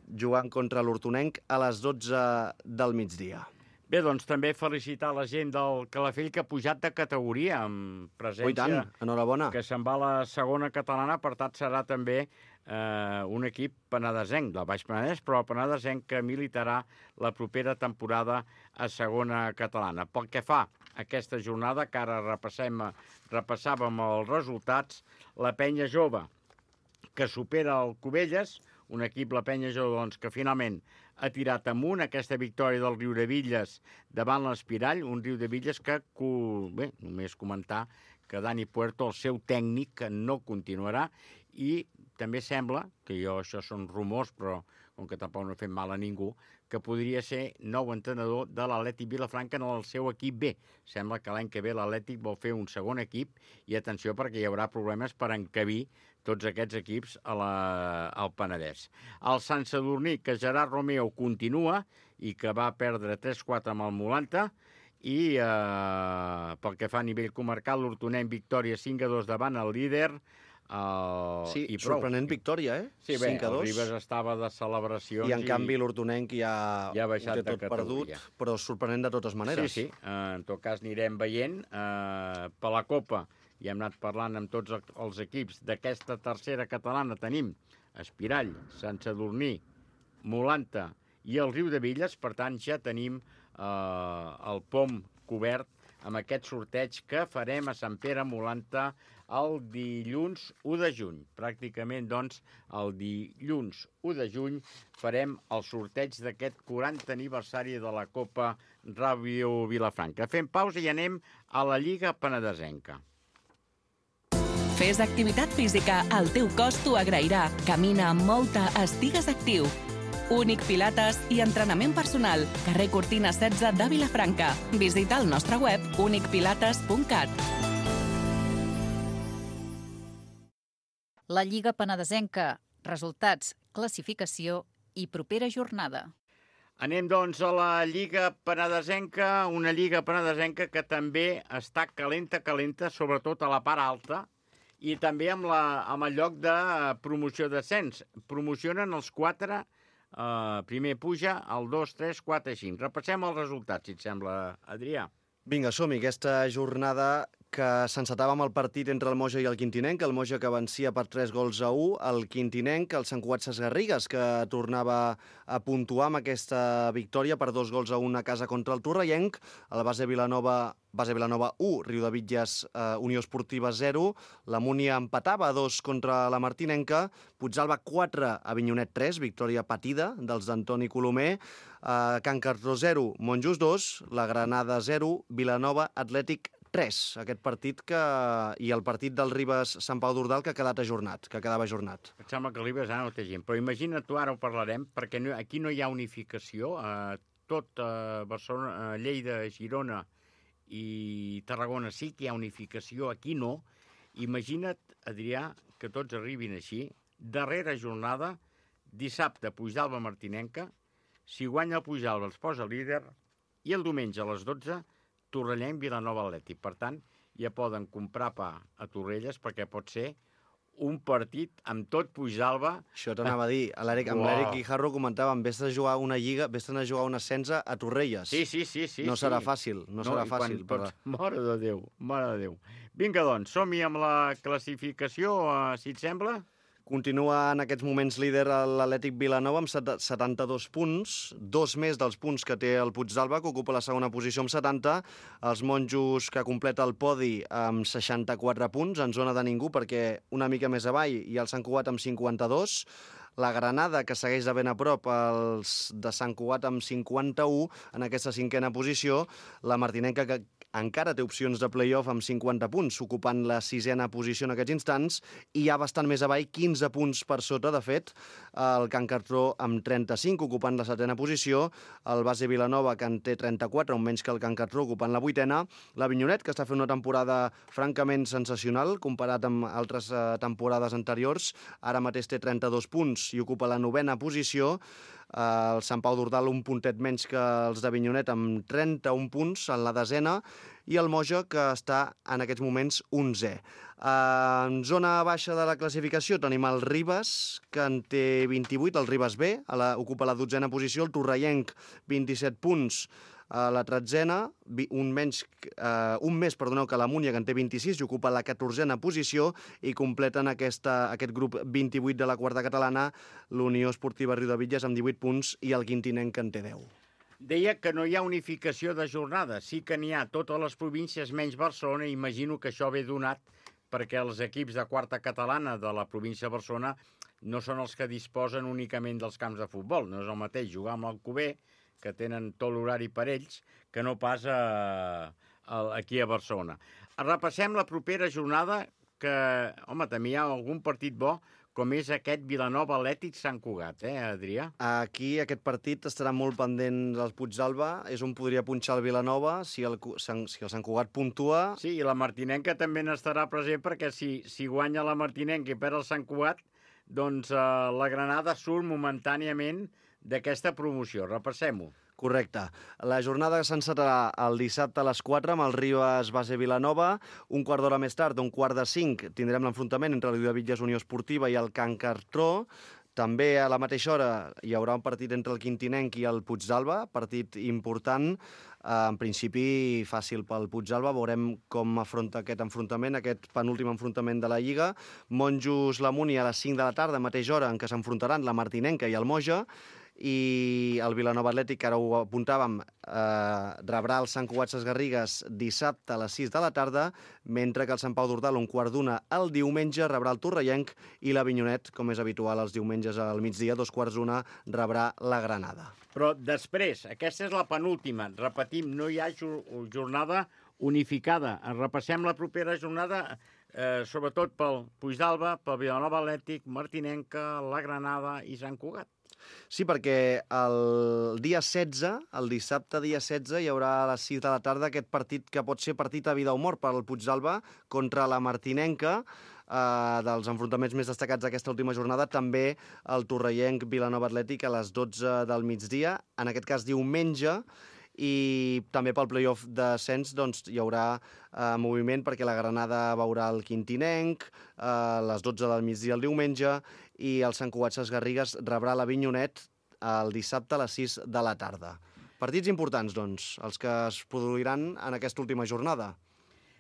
jugant contra l'Hortonenc a les 12 del migdia. Bé, doncs també felicitar la gent del Calafell que ha pujat de categoria, amb presència... Oh, i tant, enhorabona. Que se'n va a la segona catalana, per tant serà també un equip penedesenc, del Baix Penedès, però penedesenc que militarà la propera temporada a segona catalana. Pel que fa a aquesta jornada, que ara repassàvem els resultats, la Penya Jove, que supera el Cubelles, un equip, la Penya Jove, doncs, que finalment ha tirat amunt aquesta victòria del Riudebitlles davant l'Espirall, un Riudebitlles que, bé, només comentar que Dani Puerto, el seu tècnic, que no continuarà, i també sembla, que això són rumors, però com que tampoc no he fet mal a ningú, que podria ser nou entrenador de l'Atlètic Vilafranca en el seu equip B. Sembla que l'any que ve l'Atlètic vol fer un segon equip, i atenció, perquè hi haurà problemes per encabir tots aquests equips al Penedès. El Sant Sadurní, que Gerard Romeo continua i que va perdre 3-4 amb el Molanta, i pel que fa a nivell comarcal, l'Hortonenc victòria 5-2 davant el líder. Sí, sorprenent victòria, Sí, bé, el Ribes estava de celebracions. I en canvi l'Hortonenc ja ha baixat de tot perdut, però sorprenent de totes maneres. Sí, en tot cas anirem veient. Per la Copa, i hem anat parlant amb tots els equips d'aquesta tercera catalana, tenim Espirall, Sant Sadurní, Molanta i el Riudebitlles, per tant ja tenim el POM cobert amb aquest sorteig que farem a Sant Pere Molanta el dilluns 1 de juny. Pràcticament, doncs, el dilluns 1 de juny farem el sorteig d'aquest 40 aniversari de la Copa Ràdio Vilafranca. Fem pausa i anem a la Lliga Penedesenca. Fes activitat física, el teu cos t'ho agrairà. Camina amb molta, estigues actiu. Únic Pilates i entrenament personal. Carrer Cortina 16 de Vilafranca. Visita el nostre web unicpilates.cat. La Lliga Penedesenca. Resultats, classificació i propera jornada. Anem, doncs, a la Lliga Penedesenca, una Lliga Penedesenca que també està calenta, sobretot a la part alta, i també amb el lloc de promoció d'ascens. Promocionen els 4, primer puja, el 2, 3, 4 i 5. Repassem els resultats, si et sembla, Adrià. Vinga, som-hi. Aquesta jornada que s'encetava amb el partit entre el Moja i el Quintinenc, el Moja que vencia per 3-1, el Quintinenc, el Sant Cugat Sesgarrigues, que tornava a puntuar amb aquesta victòria per 2-1 a casa contra el Torrellenc, el Base Vilanova 1, Riudebitlles Unió Esportiva 0, la Múnia empatava a 2 contra la Martinenca, Puigdàlber 4, Avinyonet 3, victòria patida dels d'Antoni Colomer, Can Cartró 0, Monjos 2, la Granada 0, Vilanova Atlètic 3. Aquest partit i el partit del Ribes Sant Pau d'Ordal que quedava ajornat. Em sembla que l'Ribes no té gent, però imagina't tu, ara ho parlarem, perquè aquí no hi ha unificació, tot Barcelona, Lleida, Girona i Tarragona sí que hi ha unificació, aquí no. Imagina't, Adrià, que tots arribin així, darrera jornada, dissabte Puigdàlber-Martinenca, si guanya el Puigdàlber els posa líder, i el diumenge a les 12, Torrellenc, Vilanova Atlètic. Per tant, ja poden comprar pa a Torrelles perquè pot ser un partit amb tot Puigdàlber. Això t'anava a dir. Amb l'Eric Guijarro comentàvem, vés a jugar una lliga, vés a jugar un ascens a Torrelles. Sí. No serà fàcil, serà fàcil. Mare de Déu. Vinga, doncs, som-hi amb la classificació, si et sembla. Continua en aquests moments líder l'Atlètic Vilanova amb 72 punts, 2 més dels punts que té el Puigdàlber, que ocupa la segona posició amb 70, els Monjos, que completa el podi amb 64 punts, en zona de ningú, perquè una mica més avall, i el Sant Cugat amb 52, la Granada, que segueix de ben a prop, els de Sant Cugat amb 51, en aquesta cinquena posició, la Martinenca, que encara té opcions de play-off amb 50 punts, ocupant la sisena posició en aquests instants, i ja bastant més avall, 15 punts per sota, de fet, el Can Cartró amb 35, ocupant la setena posició, el Base Vilanova, que en té 34, un menys que el Can Cartró, ocupant la vuitena, l'Avinyonet, que està fent una temporada francament sensacional, comparat amb altres temporades anteriors, ara mateix té 32 punts i ocupa la novena posició, el Sant Pau d'Ordal un puntet menys que els d'Avinyonet amb 31 punts en la desena i el Moja que està en aquests moments 11è. En zona baixa de la classificació tenim el Ribes, que en té 28, el Ribes B, ocupa la 12a posició, el Torrellenc 27 punts, a la 13a, un més que la Múnia, que en té 26, i ocupa la 14a posició, i completen aquest grup 28 de la quarta catalana, l'Unió Esportiva Riudebitlles amb 18 punts i el Quintinenc, que en té 10. Deia que no hi ha unificació de jornada, sí que n'hi ha totes les províncies menys Barcelona, i imagino que això ve donat perquè els equips de quarta catalana de la província de Barcelona no són els que disposen únicament dels camps de futbol, no és el mateix jugar amb l'Alcover, que tenen tot l'horari per ells, que no pas aquí a Barcelona. Repassem la propera jornada, que, home, també hi ha algun partit bo, com és aquest Vilanova Atlètic Sant Cugat, Adrià? Aquí aquest partit estarà molt pendent del Puigdàlber, és on podria punxar el Vilanova, si el Sant Cugat puntua... Sí, i la Martinenca també n'estarà present, perquè si guanya la Martinenca i perd el Sant Cugat, doncs la Granada surt momentàniament d'aquesta promoció. Repassem-ho. Correcte. La jornada s'encetarà el dissabte a les 4 amb el Ribes Base Vilanova. Un quart d'hora més tard, un quart de 5, tindrem l'enfrontament entre el Riudebitlles Unió Esportiva i el Can Cartró. També a la mateixa hora hi haurà un partit entre el Quintinenc i el Puigdàlber, partit important, en principi fàcil pel Puigdàlber. Veurem com afronta aquest enfrontament, aquest penúltim enfrontament de la Lliga. Monjos la Múnia a les 5 de la tarda, mateixa hora en què s'enfrontaran la Martinenca i el Moja, i el Vilanova Atlètic, que ara ho apuntàvem, rebrà el Sant Cugat Sesgarrigues dissabte a les 6 de la tarda, mentre que el Sant Pau d'Ordal, un quart d'una el diumenge, rebrà el Torrellenc, i l'Avinyonet, com és habitual els diumenges al migdia, 2:15, rebrà la Granada. Però després, aquesta és la penúltima, repetim, no hi ha jornada unificada. Repassem la propera jornada, sobretot pel Puigdàlber, pel Vilanova Atlètic, Martinenca, la Granada i Sant Cugat. Sí, perquè el dia 16, el dissabte dia 16, hi haurà a les 6 de la tarda aquest partit que pot ser partit a vida o mort per al Puigdàlber contra la Martinenca, dels enfrontaments més destacats d'aquesta última jornada, també el Torrellenc Vilanova Atlètic a les 12 del migdia, en aquest cas diumenge, i també pel play-off d'ascens doncs, hi haurà moviment perquè la Granada veurà el Quintinenc a les 12 del migdia el diumenge i el Sant Cugat Sesgarrigues rebrà l'Avinyonet el dissabte a les 6 de la tarda. Partits importants, doncs, els que es produiran en aquesta última jornada.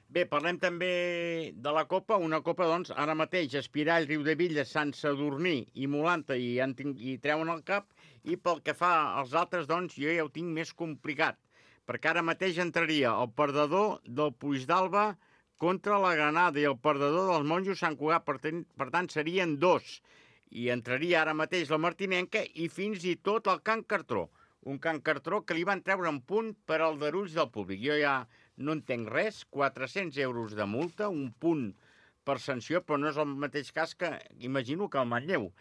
Bé, parlem també de la Copa. Una Copa, doncs, ara mateix, Espirall, Riudebitlles, Sant Sadurní i Molanta i treuen el cap. I pel que fa als altres, doncs, jo ja ho tinc més complicat. Perquè ara mateix entraria el perdedor del Puigdàlber contra la Granada i el perdedor dels Monjos Sant Cugat. Per tant, serien 2. I entraria ara mateix la Martinenca i fins i tot el Can Cartró. Un Can Cartró que li van treure un punt per aldarulls del públic. Jo ja no entenc res, 400 euros de multa, un punt per sanció, però no és el mateix cas que, imagino, que el Manlleu.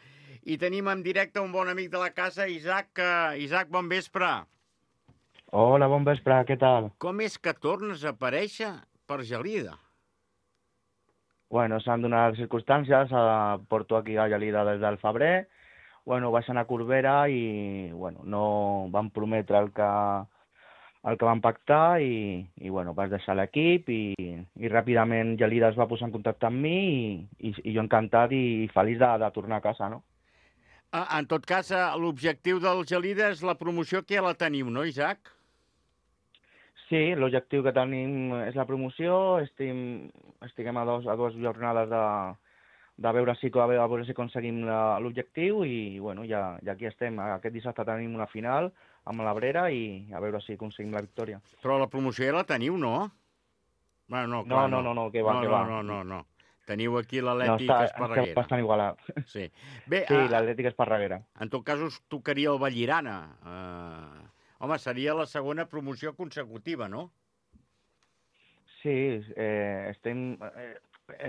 I tenim en directe un bon amic de la casa, Isaac. Isaac, bon vespre. Hola, bon vespre, què tal? Com és que tornes a aparèixer per Gelida? Bueno, s'han donat les circumstàncies, porto aquí a Gelida des del febrer, bueno, vaig anar a Corbera i bueno, no van prometre el que van pactar i bueno, vaig deixar l'equip i ràpidament Gelida es va posar en contacte amb mi i jo encantat i feliç de tornar a casa, no? En tot cas, l'objectiu del Gelida és la promoció que ja la teniu, no, Isaac? Sí, l'objectiu que tenim és la promoció, estiguem a dues jornades de veure si aconseguim l'objectiu i bueno, ja aquí estem. Aquest dissabte tenim una final amb l'Abrera i a veure si aconseguim la victòria. Però la promoció ja la teniu, no? Bueno, no, clar, no, que va, que va. No. Teniu aquí l'Atlètic Esparreguera. Està bastant igualat. Sí, bé, sí, l'Atlètic Esparreguera. En tot cas, us tocaria el Vallirana. Home, seria la segona promoció consecutiva, no? Sí, és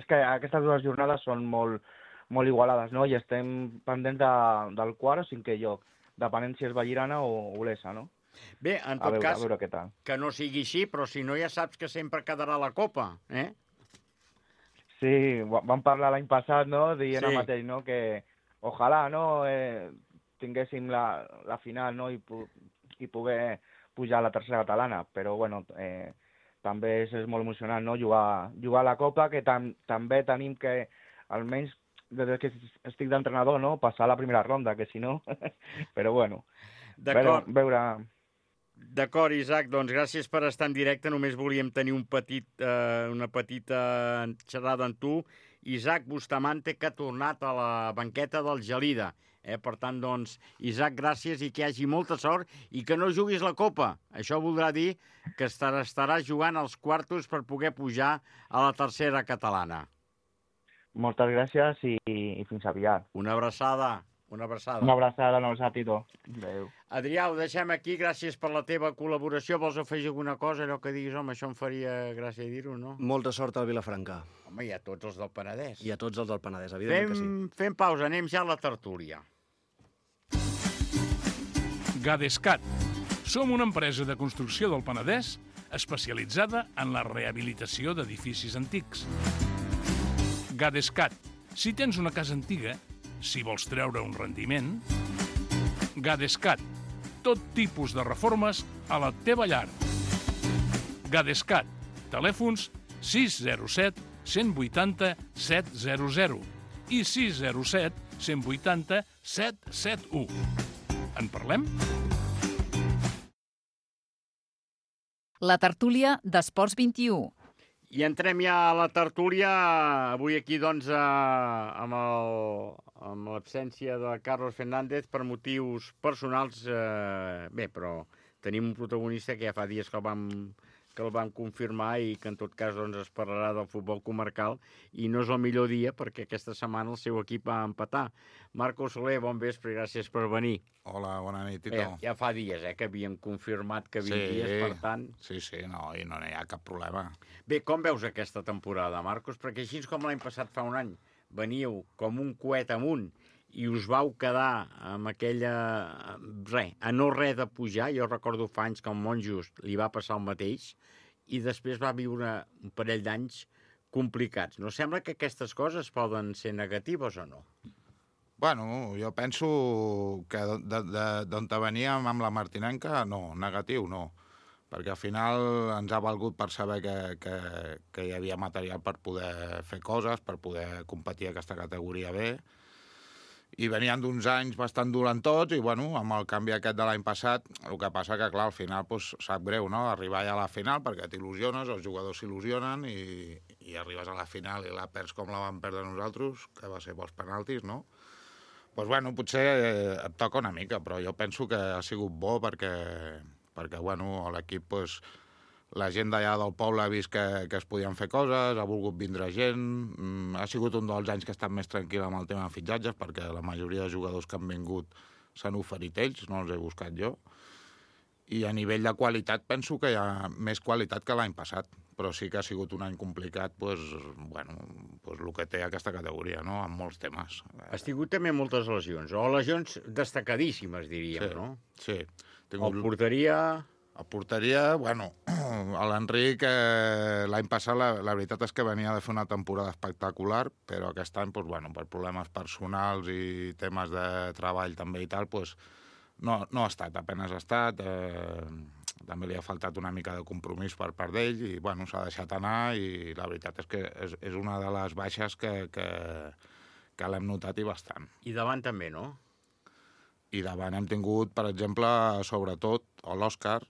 que aquestes dues jornades són molt igualades, no? I estem pendents del quart o cinquè lloc, depenent si és Vallirana o Olesa, no? Bé, en tot cas, a veure què tal. Que no sigui així, però si no ja saps que sempre quedarà la Copa, eh? Sí, vam parlar l'any passat, no?, dient el mateix, no?, que ojalà, no?, tinguéssim la final, no?, i poder pujar a la tercera catalana, però, bueno, també és molt emocionant, no?, jugar a la Copa, que també tenim que, almenys, des que estic d'entrenador, no?, passar a la primera ronda, que si no... però, bueno, veure... D'acord, Isaac, doncs gràcies per estar en directe. Només volíem tenir una petita xerrada amb tu. Isaac Bustamante, que ha tornat a la banqueta del Gelida. Per tant, doncs, Isaac, gràcies i que hi hagi molta sort i que no juguis la Copa. Això voldrà dir que estaràs jugant als quartos per poder pujar a la tercera catalana. Moltes gràcies i fins aviat. Una abraçada. Una abraçada, no, Satito. Adéu. Adrià, ho deixem aquí. Gràcies per la teva col·laboració. Vols afegir alguna cosa? Allò que diguis, home, això em faria gràcia dir-ho, no? Molta sort al Vilafranca. Home, i a tots els del Penedès. I a tots els del Penedès, evidentment que sí. Fem pausa, anem ja a la tertúlia. Gadescat. Som una empresa de construcció del Penedès especialitzada en la rehabilitació d'edificis antics. Gadescat. Si tens una casa antiga, si vols treure un rendiment, Gadescat. Tot tipus de reformes a la teva llar. Gadescat. Telèfons 607 180 700 i 607 180 771. En parlem? La tertúlia d'Esports 21. I entrem ja a la tertúlia, avui aquí, doncs, amb l'absència de Carlos Fernández per motius personals. Bé, però tenim un protagonista que ja fa dies que el vam confirmar i que en tot cas doncs, es parlarà del futbol comarcal i no és el millor dia perquè aquesta setmana el seu equip va empatar. Marco Soler, bon vespre i gràcies per venir. Hola, bona nit, Tito. Ja fa dies que havíem confirmat que vindries, per tant... Sí, no hi ha cap problema. Bé, com veus aquesta temporada, Marcos? Perquè així com l'any passat fa un any, veníeu com un coet amunt i us vau quedar amb aquella... a no res de pujar. Jo recordo fa anys que al Monjos li va passar el mateix i després va viure un parell d'anys complicats. No sembla que aquestes coses poden ser negatives o no? Bueno, jo penso que d'on veníem amb la Martinenca, no, negatiu no, perquè al final ens ha valgut per saber que hi havia material per poder fer coses, per poder competir a aquesta categoria B, i venien d'uns anys bastant dolentots i, bueno, amb el canvi aquest de l'any passat, el que passa que, clar, al final sap greu, no?, arribar ja a la final perquè t'il·lusiones, els jugadors s'il·lusionen i arribes a la final i la perds com la vam perdre nosaltres, que va ser pels penaltis, no? Doncs, bueno, potser et toca una mica, però jo penso que ha sigut bo perquè bueno, l'equip, doncs, la gent d'allà del poble ha vist que es podien fer coses, ha volgut vindre gent, ha sigut un dels anys que ha estat més tranquil amb el tema de fitxatges, perquè la majoria de jugadors que han vingut s'han oferit ells, no els he buscat jo, i a nivell de qualitat penso que hi ha més qualitat que l'any passat, però sí que ha sigut un any complicat, bueno, el que té aquesta categoria, no?, amb molts temes. Has tingut també moltes lesions, o lesions destacadíssimes, diríem, no? Sí. El porteria... A porteria, bueno, l'Enric l'any passat la veritat és que venia de fer una temporada espectacular, però aquest any, doncs, bueno, per problemes personals i temes de treball també i tal, doncs, no ha estat, apenas ha estat, també li ha faltat una mica de compromís per part d'ell i, bueno, s'ha deixat anar i la veritat és que és una de les baixes que l'hem notat i bastant. I davant també, no? I davant hem tingut, per exemple, sobretot, l'Òscar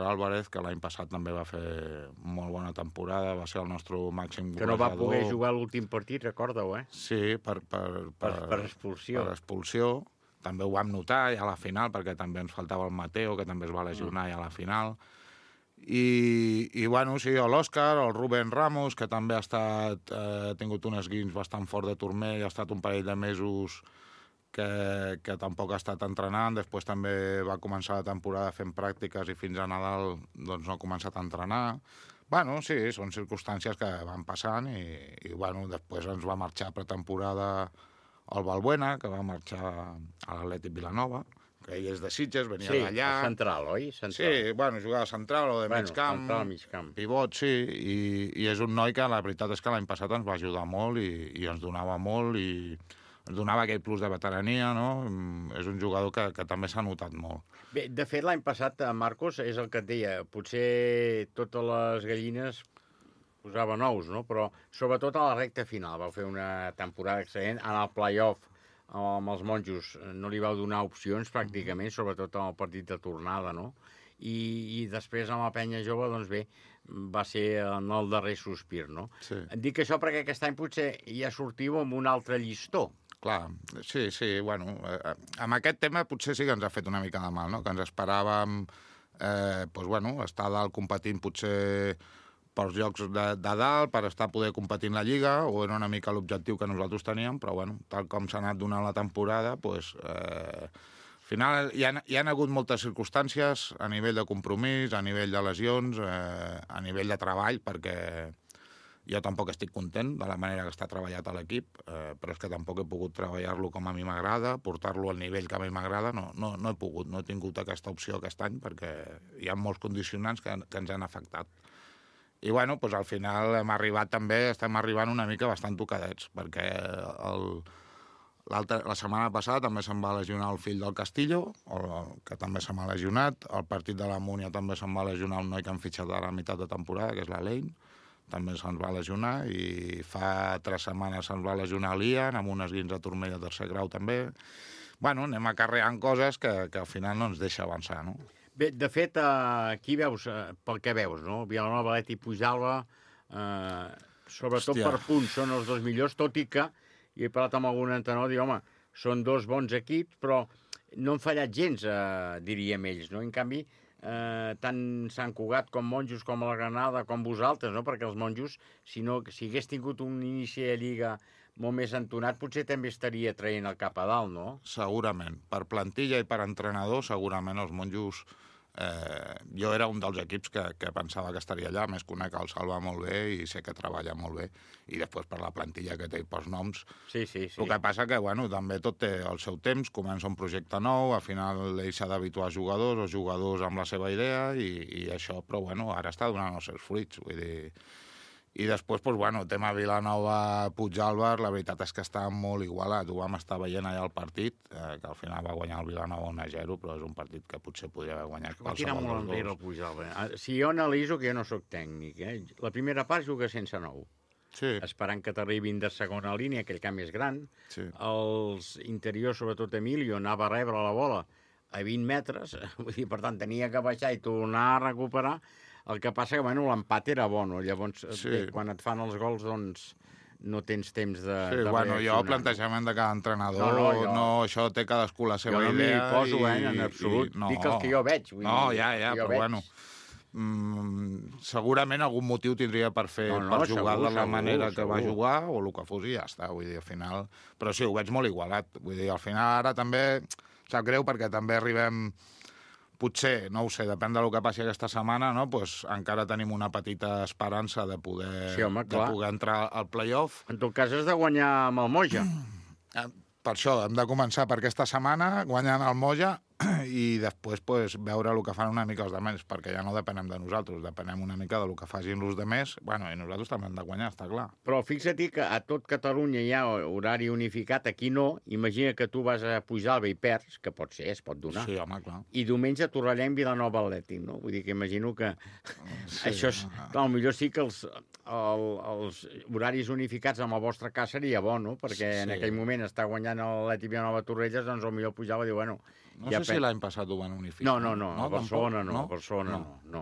Álvarez, que l'any passat també va fer molt bona temporada, va ser el nostre màxim golejador. Que no va poder jugar l'últim partit, recorda-ho, eh? Sí, per expulsió. Per expulsió. També ho vam notar ja a la final, perquè també ens faltava el Mateo, que també es va lesionar ja a la final. I bueno, sí, l'Òscar, el Rubén Ramos, que també ha tingut un esguins bastant fort de turmell, ha estat un parell de mesos que tampoc ha estat entrenant, després també va començar la temporada fent pràctiques i fins a Nadal doncs no ha començat a entrenar. Bueno, sí, són circumstàncies que van passant i bueno, després ens va marxar pretemporada el Balbuena, que va marxar a l'Atlètic Vilanova, que ell és de Sitges, venia d'allà. Sí, central, oi? Sí, bueno, jugava central o de migcamp, pivot, sí, i és un noi que la veritat és que l'any passat ens va ajudar molt i ens donava molt i ens donava aquell plus de veterania, no? És un jugador que també s'ha notat molt. Bé, de fet, l'any passat, Marcos, és el que et deia, potser totes les gallines posaven ous, no? Però sobretot a la recta final vau fer una temporada excel·lent, en el play-off amb els monjos no li vau donar opcions pràcticament, sobretot en el partit de tornada, no? I després amb la penya jove, doncs bé, va ser en el darrer sospir, no? Sí. Dic això perquè aquest any potser ja sortiu amb un altre llistó. Clar, sí, bueno, amb aquest tema potser sí que ens ha fet una mica de mal, no? Que ens esperàvem, doncs, bueno, estar a dalt competint potser pels llocs de dalt, per estar poder competir en la Lliga, o era una mica l'objectiu que nosaltres teníem, però, bueno, tal com s'ha anat donant la temporada, doncs, al final hi ha hagut moltes circumstàncies a nivell de compromís, a nivell de lesions, a nivell de treball, perquè jo tampoc estic content de la manera que està treballat a l'equip, però és que tampoc he pogut treballar-lo com a mi m'agrada, portar-lo al nivell que a mi m'agrada, no he pogut, no he tingut aquesta opció aquest any perquè hi ha molts condicionants que ens han afectat. I bueno, doncs al final estem arribant una mica bastant tocadets, perquè la setmana passada també se'n va lesionar el fill del Castillo, que també se m'ha lesionat, el partit de la Múnia també se'n va lesionar un noi que han fitxat a la meitat de temporada, que és l'Alain, també se'ns va lesionar, i fa 3 setmanes se'ns va lesionar l'Ian, amb un esguins de turmell de tercer grau també. Bueno, anem acarreant coses que al final no ens deixa avançar, no? Bé, de fet, aquí veus, pel que veus, no? Vilanova, Atlètic, Puigdàlber, sobretot per punts, són els dos millors, tot i que, i he parlat amb algun entrenador, diu, home, són dos bons equips, però no han fallat gens, diríem ells, no? En canvi, tant Sant Cugat com Monjos, com la Granada, com vosaltres, no? Perquè els Monjos, si hagués tingut un inici de Lliga molt més entonat, potser també estaria traient el cap a dalt, no? Segurament. Per plantilla i per entrenador, segurament els Monjos... jo era un dels equips que pensava que estaria allà, més conec el Salva molt bé i sé que treballa molt bé, i després per la plantilla que té i pels noms. Sí. El que passa que, bueno, també tot té el seu temps, comença un projecte nou, al final ell s'ha d'habituar a jugadors, o jugadors amb la seva idea, i això, però, bueno, ara està donant els seus fruits, vull dir... I després, doncs, bueno, tema Vilanova-Puigdàlber, la veritat és que està molt igualat. Ho vam estar veient allà al partit, que al final va guanyar el Vilanova 1-0, però és un partit que potser podria haver guanyat qualsevol dels dos. Va tirar molt enrere el Puigdàlber. Si jo analitzo, que jo no sóc tècnic, la primera part juga sense 9. esperant que t'arribin de segona línia, aquell camp és gran. Els interiors, sobretot Emilio, anava a rebre la bola a 20 metres, vull dir, per tant, tenia que baixar i tornar a recuperar. El que passa que, bueno, l'empat era bo, no? Llavors, quan et fan els gols, doncs, no tens temps de bueno, jo el plantejament de cada entrenador, això té cadascú la seva idea. Jo no m'hi poso, en absolut. Dic els que jo veig. Però bueno, segurament algun motiu tindria per jugar de la manera que va jugar o el que fos i ja està, vull dir, al final... Però sí, ho veig molt igualat. Vull dir, al final ara també sap greu perquè també arribem... Potser, no ho sé, depèn del que passi aquesta setmana, no? Pues encara tenim una petita esperança de poder entrar al play-off. En tot cas, has de guanyar amb el Moja. Per això, hem de començar per aquesta setmana, guanyant el Moja, i després pues, veure el que fan una mica els demés, perquè ja no depenem de nosaltres, depenem una mica del que facin els demés, bueno, i nosaltres també hem de guanyar, està clar. Però fixa't que a tot Catalunya hi ha horari unificat, aquí no. Imagina que tu vas a Puigdàlber i perds, que pot ser, es pot donar. Sí, home, clar. I diumenge Torrellem, Vilanova, Atlètic, no? Vull dir que imagino que això és... Clar, potser sí que els horaris unificats amb el vostre cas seria bo, no? Perquè en aquell moment està guanyant l'Atlètic Vilanova Torrelles, doncs potser Puigdàlber diu, bueno... No sé si l'any passat ho van unificar. No, a Barcelona no. A Barcelona no.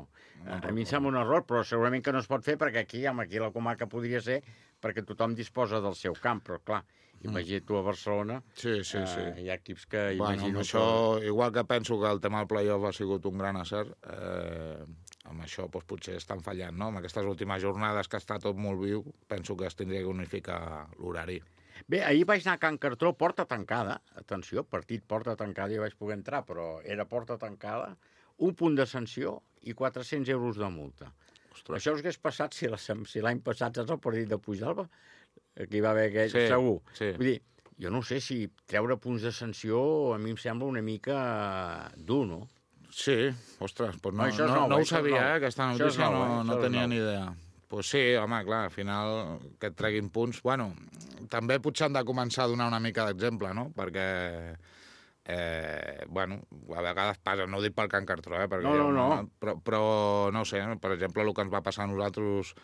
A mi em sembla un error, però segurament que no es pot fer perquè aquí la comarca podria ser perquè tothom disposa del seu camp, però clar, imagina't tu a Barcelona, hi ha equips que imagino... Això, igual que penso que el tema del play-off ha sigut un gran acert, amb això doncs, potser estan fallant, no? Amb aquestes últimes jornades que està tot molt viu, penso que es tindria que unificar l'horari. Bé, ahir vaig anar a Can Cartró, porta tancada. Atenció, partit porta tancada, ja vaig poder entrar, però era porta tancada, 1 punt de sanció i 400 euros de multa. Ostres. Això us hagués passat si l'any passat saps el partit de Puigdàlber, que hi va haver aquell, segur. Sí. Vull dir, jo no sé si treure punts de sanció a mi em sembla una mica dur, no? Sí, ostres, doncs no ho sabia, aquesta notícia no tenia ni idea. Pues sí, home, clar, al final que et treguin punts... Bueno, també potser han de començar a donar una mica d'exemple, no? Perquè, bueno, a vegades passa, no ho dic pel Can Cartró, perquè però no sé, per exemple, el que ens va passar a nosaltres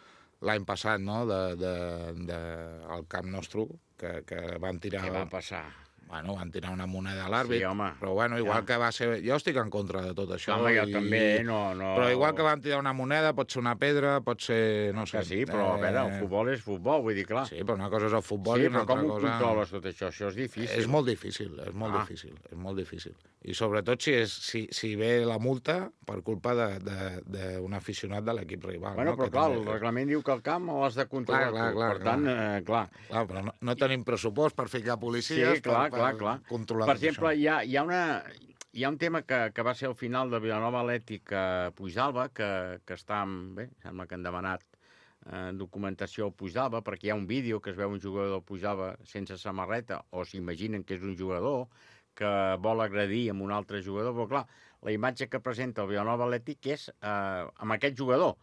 l'any passat, no?, al camp nostre, que van tirar... Què va passar? Bueno, van tirar una moneda a l'àrbit, sí, però bueno, igual que va ser... Jo estic en contra de tot això. Home, jo també, no... Però igual que van tirar una moneda, pot ser una pedra, pot ser... No sé. Sí, però a veure, el futbol és futbol, vull dir, clar. Sí, però una cosa és el futbol i una altra cosa... Sí, però com ho controles tot això? Això és difícil. És molt difícil, és molt difícil. I sobretot si ve la multa per culpa d'un aficionat de l'equip rival. Bueno, però clar, el reglament diu que el camp l'has de controlar tu. Per tant, clar. Clar, però no tenim pressupost per ficar policies. Sí, clar. Per exemple, hi ha un tema que va ser al final de Vilanova Atlètic a Puigdàlber, que està... Bé, sembla que han demanat documentació al Puigdàlber, perquè hi ha un vídeo que es veu un jugador del Puigdàlber sense samarreta, o s'imaginen que és un jugador que vol agredir amb un altre jugador, però clar, la imatge que presenta el Vilanova Atlètic és amb aquest jugador.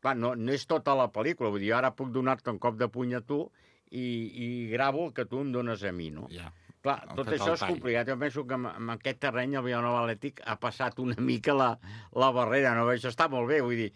Clar, no és tota la pel·lícula, vull dir, ara puc donar-te un cop de puny a tu i gravo el que tu em dones a mi, no? Ja. Clar, tot això és complicat. Jo penso que en aquest terreny el Vilanova Atlètic ha passat una mica la barrera, no? Això està molt bé, vull dir,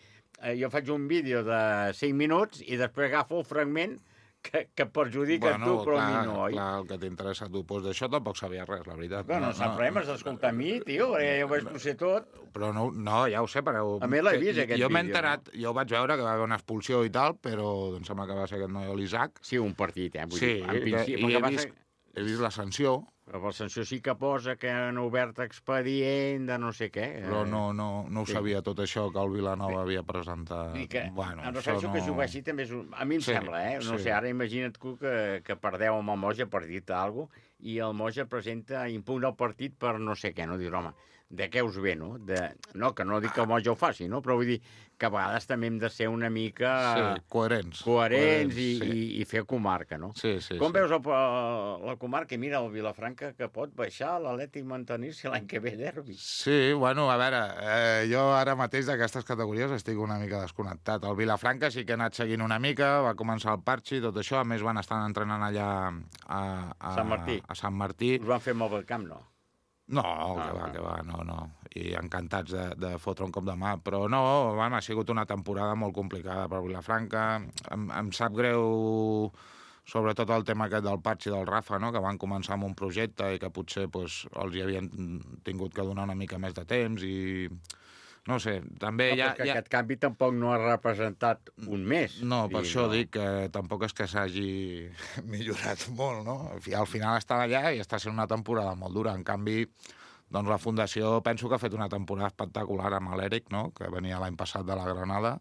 jo faig un vídeo de 5 minuts i després agafo el fragment que perjudica a tu, però a mi no, oi? Clar, el que t'interessa a tu. Doncs d'això tampoc sabia res, la veritat. No sap res, m'has d'escoltar a mi, tio, perquè jo ho vaig ser tot. Però no, ja ho sé, però... A mi l'he vist, aquest vídeo. Jo m'he enterat, jo vaig veure que va haver una expulsió i tal, però em sembla que va ser aquest noi, l'Isaac. Sí, un partit, vull dir, en principi... He vist la sanció. Però per sanció sí que posa que han obert expedient de no sé què. Però no ho sabia tot això que el Vilanova havia presentat. Bueno, em refereixo que jugar així també és... A mi em sembla, no sé, ara imagina't tu que perdeu amb el Moja per dir-te alguna cosa i el Moja presenta, impugna el partit per no sé què, no? Dius, home, de què us ve, no? No, que no dic que el Moja ho faci, no? Però vull dir que a vegades també hem de ser una mica... Sí, coherents i fer comarca, no? Sí. Com veus la comarca? Mira, el Vilafranca que pot baixar, l'Atlètic mantenir-se l'any que ve derbi. Sí, bueno, a veure, jo ara mateix d'aquestes categories estic una mica desconnectat. El Vilafranca sí que ha anat seguint una mica, va començar el Parchi, tot això, a més van estar entrenant allà a Sant Martí. A Sant Martí. Us van fer molt el camp, no? No, que va, no. I encantats de fotre un cop de mà. Però no, ha sigut una temporada molt complicada per Vilafranca. Em sap greu, sobretot el tema aquest del Patx i del Rafa, no? Que van començar amb un projecte i que potser els hi havien tingut que donar una mica més de temps i... No sé, també aquest canvi tampoc no ha representat un mes. No, per això dic que tampoc és que s'hagi millorat molt, no? Al final està allà i està sent una temporada molt dura. En canvi, doncs la Fundació penso que ha fet una temporada espectacular amb l'Eric, no? Que venia l'any passat de la Granada,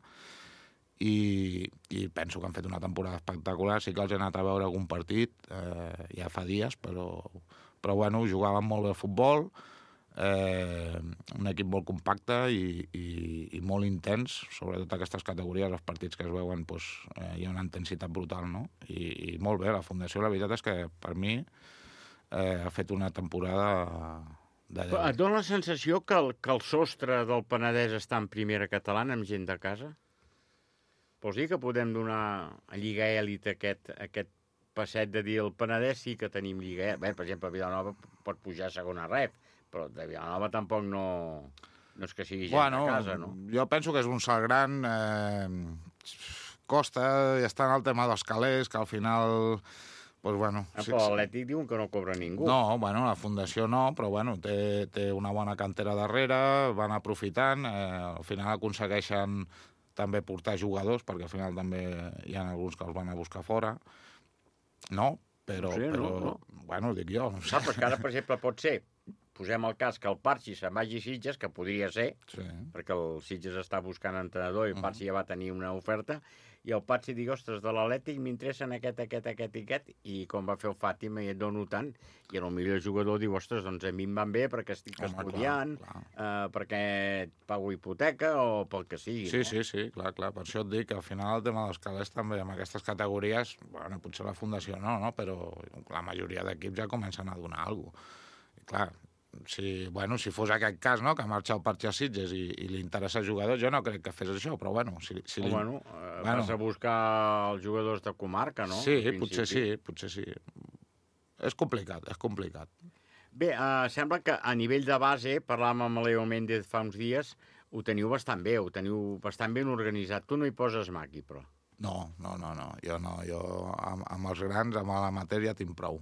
i penso que han fet una temporada espectacular. Sí que els he anat a veure algun partit, ja fa dies, però bueno, jugaven molt bé al futbol, un equip molt compacte i molt intens, sobretot aquestes categories, els partits que es veuen, hi ha una intensitat brutal, no? I molt bé, la Fundació, la veritat és que per mi ha fet una temporada de... Et dona la sensació que el sostre del Penedès està en primera catalana amb gent de casa? Vols dir que podem donar a Lliga Èlite aquest passet de dir el Penedès sí que tenim Lliga Èlite? Bé, per exemple, Vilanova pot pujar a segona ref, però de Vilanova tampoc no és que sigui gent de casa, no? Jo penso que és un salt gran. Costa, i està en el tema dels calés, que al final... Però l'Atlètic diuen que no cobra ningú. No, la Fundació no, però té una bona cantera darrere, van aprofitant, al final aconsegueixen també portar jugadors, perquè al final també hi ha alguns que els van a buscar fora. No, però dic jo. Però que ara, per exemple, pot ser, posem el cas que el Parxi se'n vagi a Sitges, que podria ser, perquè el Sitges està buscant entrenador i el Parxi ja va tenir una oferta, i el Parxi digui, ostres, de l'Atlètic m'interessen aquest, i com va fer el Fàtima i et dono tant, i potser el jugador diu, ostres, doncs a mi em van bé perquè estic estudiant, perquè pago hipoteca o pel que sigui. Sí, clar, per això et dic que al final el tema dels calés també amb aquestes categories, potser la Fundació no, però la majoria d'equips ja comencen a donar alguna cosa. Clar, si fos aquest cas, no?, que marxa el Parxi a Sitges i li interessa jugadors, jo no crec que fes això, però vas a buscar els jugadors de comarca, no? Sí, potser sí. És complicat. Bé, sembla que a nivell de base, parlàvem amb Leo Méndez fa uns dies, ho teniu bastant bé, ho teniu bastant ben organitzat. Tu no hi poses mà aquí, però... No, jo no. Jo amb els grans, amb la matèria, tinc prou.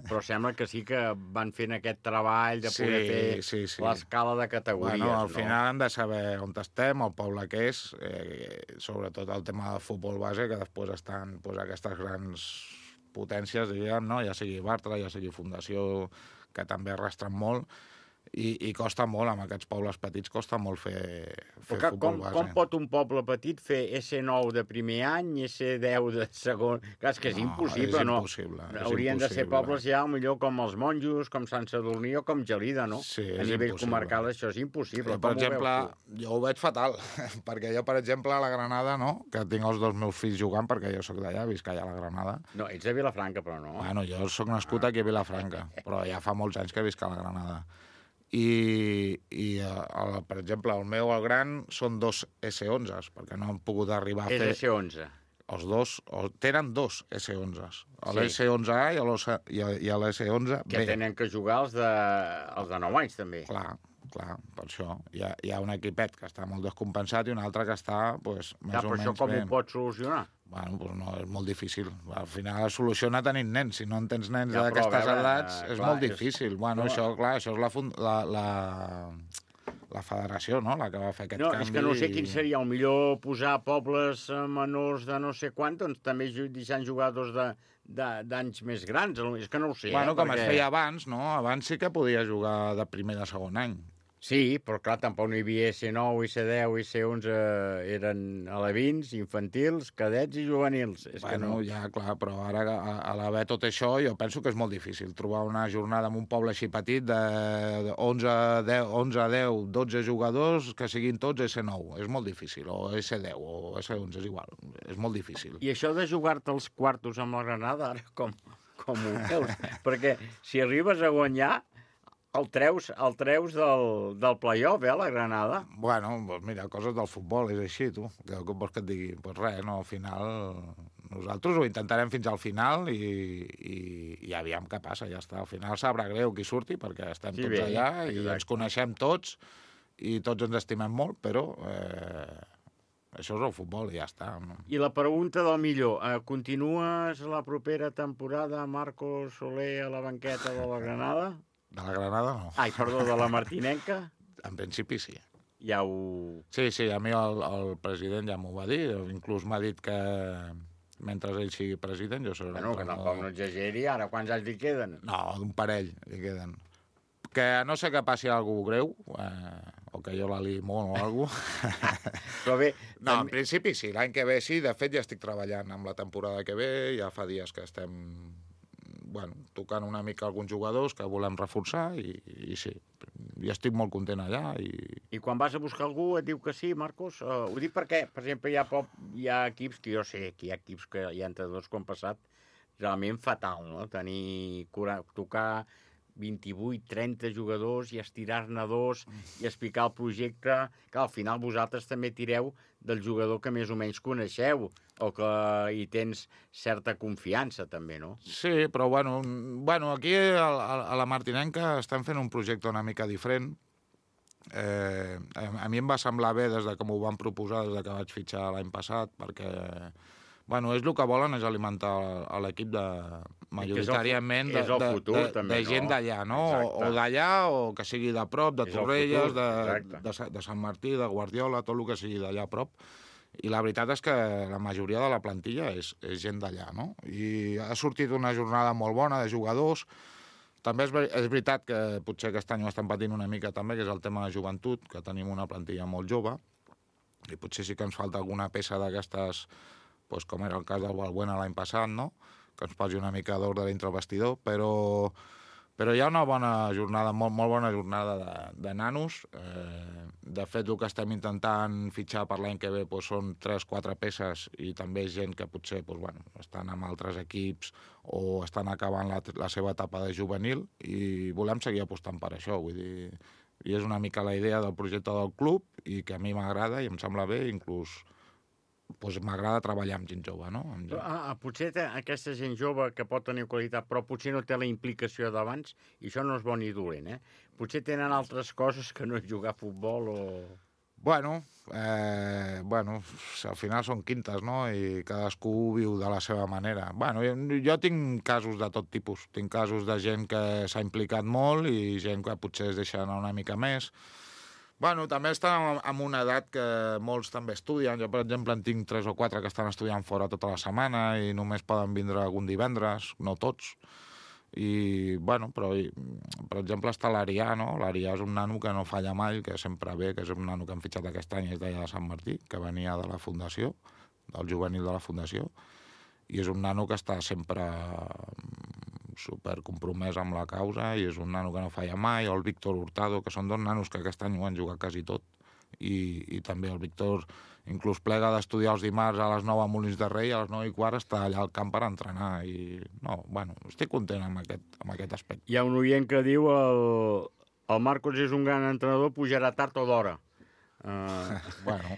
Però sembla que sí que van fent aquest treball de poder fer l'escala de categories. Al final hem de saber on estem, el poble que és, sobretot el tema del futbol base, que després estan aquestes grans potències, diguem, no? Ja sigui Bartra, ja sigui Fundació, que també arrastren molt, i costa molt, amb aquests pobles petits costa molt fer futbol base. Com pot un poble petit fer S9 de primer any, S10 de segon? Clar, és que és impossible, no? Haurien de ser pobles ja, millor com els Monjos, com Sant Sadurní o com Gelida, no? Sí, a nivell comarcal això és impossible. Per exemple, jo ho veig fatal, perquè jo, per exemple, a la Granada, no?, que tinc els dos meus fills jugant, perquè jo sóc d'allà, visc allà a la Granada. No, ets de Vilafranca, però no. Jo sóc nascut aquí a Vilafranca, però ja fa molts anys que visc a la Granada. I per exemple, el meu, el gran, són 2 S11s, perquè no han pogut arribar a fer... És S11? Els dos, tenen 2 S11s, l'S11A i l'S11B. Que tenen que jugar els de 9 anys, també. Clar, per això. Hi ha un equipet que està molt descompensat i un altre que està, més o menys... Però això com ho pots solucionar? No, és molt difícil. Al final es soluciona tenint nens. Si no en tens nens d'aquestes edats, és molt difícil. Això és la federació, no?, la que va fer aquest canvi. No, és que no sé quin seria. El millor posar pobles menors de no sé quant, doncs també deixant jugadors d'anys més grans. És que no ho sé. Com es feia abans, no? Abans sí que podia jugar de primer i de segon any. Sí, però clar, tampoc no hi havia S9, S10 i S11, eren alevins, infantils, cadets i juvenils. Clar, però ara a l'haver tot això jo penso que és molt difícil trobar una jornada en un poble així petit de 11, 10, 12 jugadors que siguin tots S9. És molt difícil, o S10 o S11, és igual, és molt difícil. I això de jugar-te els quartos amb la Granada, ara com ho veus? Perquè si arribes a guanyar... El treus del play-off, la Granada? Mira, coses del futbol, és així, tu. Què vols que et digui? Res, no, al final nosaltres ho intentarem fins al final i aviam què passa, ja està. Al final sabrà greu qui surti, perquè estem tots allà i ens coneixem tots i tots ens estimem molt, però això és el futbol i ja està. I la pregunta del millor, continues la propera temporada Marcos Soler a la banqueta de la Granada? De la Granada no. Ai, perdó, de la Martinenca? En principi sí. Ja ho... Sí, a mi el president ja m'ho va dir, inclús m'ha dit que mentre ell sigui president jo seré... Bueno, que tampoc no exageri, ara quants anys li queden? No, d'un parell li queden. Que no sé que passi alguna greu, o que jo la liï molt o alguna cosa. Però bé... No, en principi sí, l'any que ve sí, de fet ja estic treballant amb la temporada que ve, ja fa dies que estem tocant una mica alguns jugadors que volem reforçar i sí, ja estic molt content allà. I quan vas a buscar algú et diu que sí, Marcos? Ho dic perquè, per exemple, hi ha equips que jo sé que hi ha equips que hi ha entrenadors que han passat realment fatal, no? Tocar 28, 30 jugadors i estirar-ne dos i explicar el projecte, que al final vosaltres també tireu del jugador que més o menys coneixeu o que hi tens certa confiança també, no? Sí, però aquí a la Martinenca estem fent un projecte una mica diferent. A mi em va semblar bé des de que m'ho van proposar, des de que vaig fitxar l'any passat, perquè és el que volen, és alimentar l'equip majoritàriament de gent d'allà, no? O d'allà, o que sigui de prop, de Torrelles, de Sant Martí, de Guardiola, tot el que sigui d'allà a prop. I la veritat és que la majoria de la plantilla és gent d'allà, no? I ha sortit una jornada molt bona de jugadors. També és veritat que potser aquest any ho estem patint una mica també, que és el tema de joventut, que tenim una plantilla molt jove, i potser sí que ens falta alguna peça d'aquestes, com era el cas del Balbuena l'any passat, no? Que ens posi una mica d'ordre dintre el vestidor, però hi ha una bona jornada, molt bona jornada de nanos. De fet, el que estem intentant fitxar per l'any que ve són 3-4 peces i també gent que potser estan amb altres equips o estan acabant la seva etapa de juvenil i volem seguir apostant per això. Vull dir, i és una mica la idea del projecte del club i que a mi m'agrada i em sembla bé, inclús m'agrada treballar amb gent jove, no? Potser aquesta gent jove que pot tenir qualitat, però potser no té la implicació d'abans, i això no és bo ni dolent, Potser tenen altres coses que no és jugar a futbol o... Al final són quintes, no? I cadascú viu de la seva manera. Jo tinc casos de tot tipus. Tinc casos de gent que s'ha implicat molt i gent que potser es deixa anar una mica més. També estan en una edat que molts també estudien. Jo, per exemple, en tinc 3 o 4 que estan estudiant fora tota la setmana i només poden vindre algun divendres, no tots. Però, per exemple, està l'Arià, no? L'Arià és un nano que no falla mai, que sempre ve, que és un nano que han fitxat aquest any, és d'allà de Sant Martí, que venia de la Fundació, del juvenil de la Fundació, i és un nano que està sempre super compromès amb la causa i és un nano que no falla mai, o el Víctor Hurtado, que són 2 nanos que aquest any ho han jugat quasi tot, i també el Víctor inclús plega d'estudiar els dimarts a les 9 a Molins de Rei, a les 9:15 està allà al camp per entrenar i estic content amb aquest aspecte. Hi ha un oient que diu el Marcos és un gran entrenador, pujarà tard o d'hora.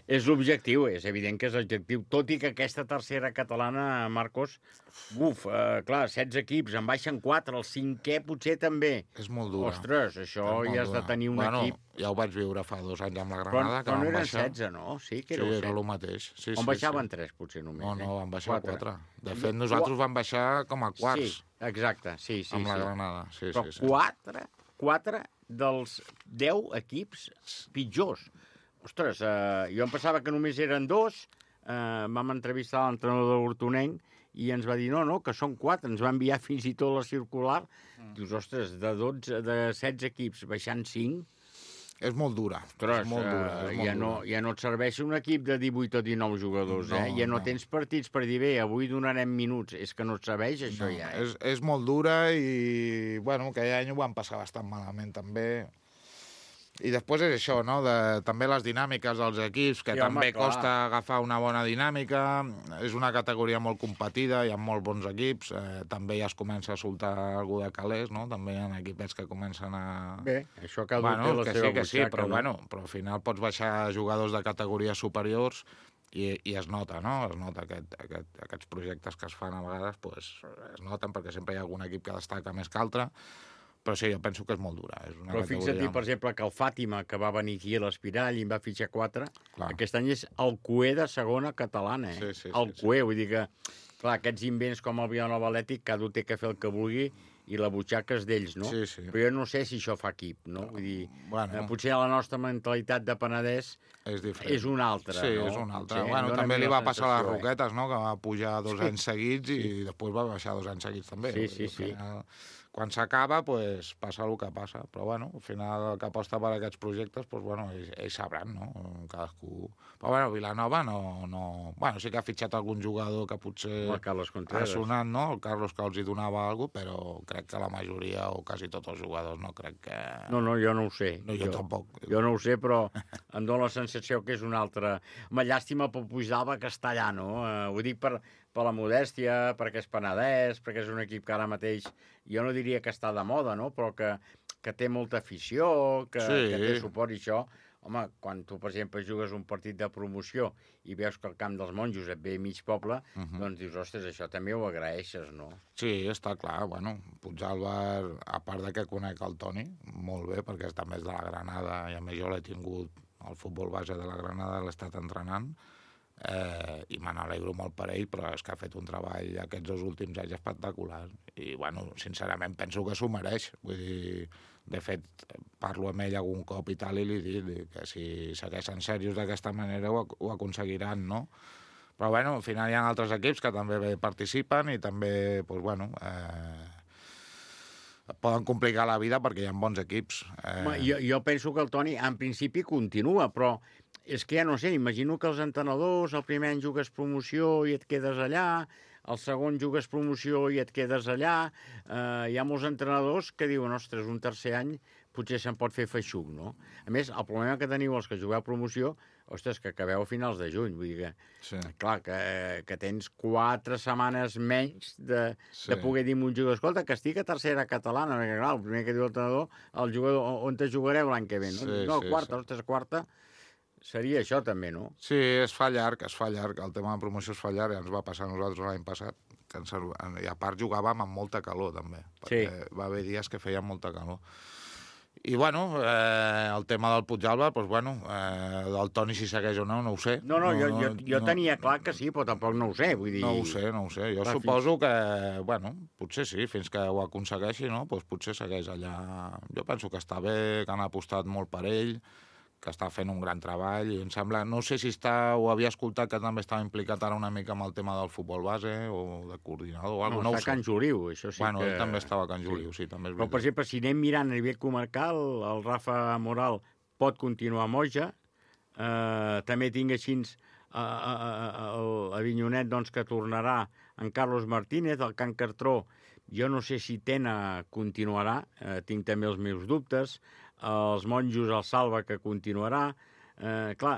És l'objectiu, és evident que és l'objectiu, tot i que aquesta tercera catalana, Marcos, clar, 16 equips, en baixen 4, el 5è potser també. És molt dura. Ostres, això ja has de tenir un equip. Ja ho vaig viure fa 2 anys amb la Granada. Però no eren 16, no? Sí, que era el mateix. On baixaven 3, potser només. No, van baixar 4. De fet, nosaltres vam baixar com a quarts. Sí, exacte, sí. Amb la Granada, sí. Però 4 dels 10 equips pitjors. Ostres, jo em pensava que només eren 2, vam entrevistar l'entrenador d'Hortonenc i ens va dir, no, que són 4, ens va enviar fins i tot la circular. Dius, ostres, de 16 equips baixant 5... És molt dura. Ostres, ja no et serveix un equip de 18 o 19 jugadors, ja no tens partits per dir, bé, avui donarem minuts, és que no et serveix això ja. És molt dura i, aquell any ho vam passar bastant malament també. I després és això, no? També les dinàmiques dels equips, que també costa agafar una bona dinàmica. És una categoria molt competida, hi ha molt bons equips. També ja es comença a soltar algú de calés, no? També hi ha equipets que comencen a... Bé, això cada un té la seva butxaca. Però al final pots baixar jugadors de categories superiors I es nota, no? Es nota aquests projectes que es fan a vegades, pues, es noten perquè sempre hi ha algun equip que destaca més que altre, però sí, jo penso que és molt dura. És una però fixa't, per exemple, que el Fàtima, que va venir aquí a l'Espirall i en va fitxar 4, aquest any és el cué de segona catalana, el cué, vull dir que, clar, aquests invents com el Vilanova Atlètic, cada un té que fer el que vulgui i la butxaca és d'ells, no? Sí. Però jo no sé si això fa equip, no? Vull dir, potser la nostra mentalitat de Penedès és una altra, no? Sí, és una altra. Bueno, també li va passar a les Roquetes, no? Que va pujar 2 anys seguits i després va baixar 2 anys seguits també. Sí. Quan s'acaba, pues, passa el que passa. Però, bueno, al final, el que aposta per aquests projectes, pues, bueno, ells sabran, no? Cadascú... Però, bueno, Vilanova no... Bueno, sí que ha fitxat algun jugador que potser ha sonat, no? El Carlos, que els hi donava alguna cosa, però crec que la majoria, o quasi tots els jugadors, no crec que... No, jo no ho sé. No, jo tampoc. Jo no ho sé, però em dóna la sensació que és una altra... Home, llàstima pel Puigdàlber que està allà, no? Ho dic per la modèstia, perquè és Penedès, perquè és un equip que ara mateix, jo no diria que està de moda, no? Però que té molta afició, que té suport i això. Home, quan tu, per exemple, jugues un partit de promoció i veus que al Camp dels Monjos et ve mig poble, doncs dius, ostres, això també ho agraeixes, no? Sí, està clar. Bueno, Puigdàlber, a part de que conec el Toni, molt bé, perquè també és de la Granada, i a més jo l'he tingut al futbol base de la Granada, l'he estat entrenant, i me n'alegro molt per ell, però és que ha fet un treball aquests 2 últims anys espectacular. I, bueno, sincerament, penso que s'ho mereix. Vull dir, de fet, parlo amb ell algun cop i tal, i li dic que si segueixen serios d'aquesta manera ho aconseguiran, no? Però, bueno, al final hi ha altres equips que també participen i també, doncs, bueno... poden complicar la vida perquè hi ha bons equips. Jo penso que el Toni, en principi, continua, però és que ja no sé, imagino que els entrenadors, el primer any jugues promoció i et quedes allà, el segon jugues promoció i et quedes allà. Hi ha molts entrenadors que diuen, ostres, un tercer any potser se'n pot fer feixuc, no? A més, el problema que teniu els que jugueu promoció, ostres, que acabeu a finals de juny, vull dir que, clar, que tens 4 setmanes menys de poder dir a un jugador, escolta, que estic a tercera catalana, perquè clar, el primer que diu el entrenador, el jugador, on te jugareu l'any que ve, no? No, quarta, ostres, quarta, seria això també, no? Sí, es fa llarg, el tema de promoció es fa llarg, ja ens va passar a nosaltres l'any passat, i a part jugàvem amb molta calor també, perquè va haver dies que feien molta calor. I, bueno, el tema del Puigdàlber, doncs, bueno, del Toni si segueix o no ho sé. No, jo tenia clar que sí, però tampoc no ho sé, vull dir... No ho sé. Jo suposo que, bueno, potser sí, fins que ho aconsegueixi, no? Doncs potser segueix allà. Jo penso que està bé, que han apostat molt per ell, que està fent un gran treball, i em sembla... No sé si ho havia escoltat, que també estava implicat ara una mica amb el tema del futbol base, o de coordinador, o alguna cosa. No, està a Can Juliu, això sí que... Bueno, ell també estava a Can Juliu, sí, també és veritat. Però, per exemple, si anem mirant a nivell comarcal, el Rafa Moral pot continuar a Moja, també tinc així l'Avinyonet, doncs, que tornarà en Carlos Martínez, el Can Cartró, jo no sé si Tena continuarà, tinc també els meus dubtes, els Monjos, el Salva, que continuarà. Clar,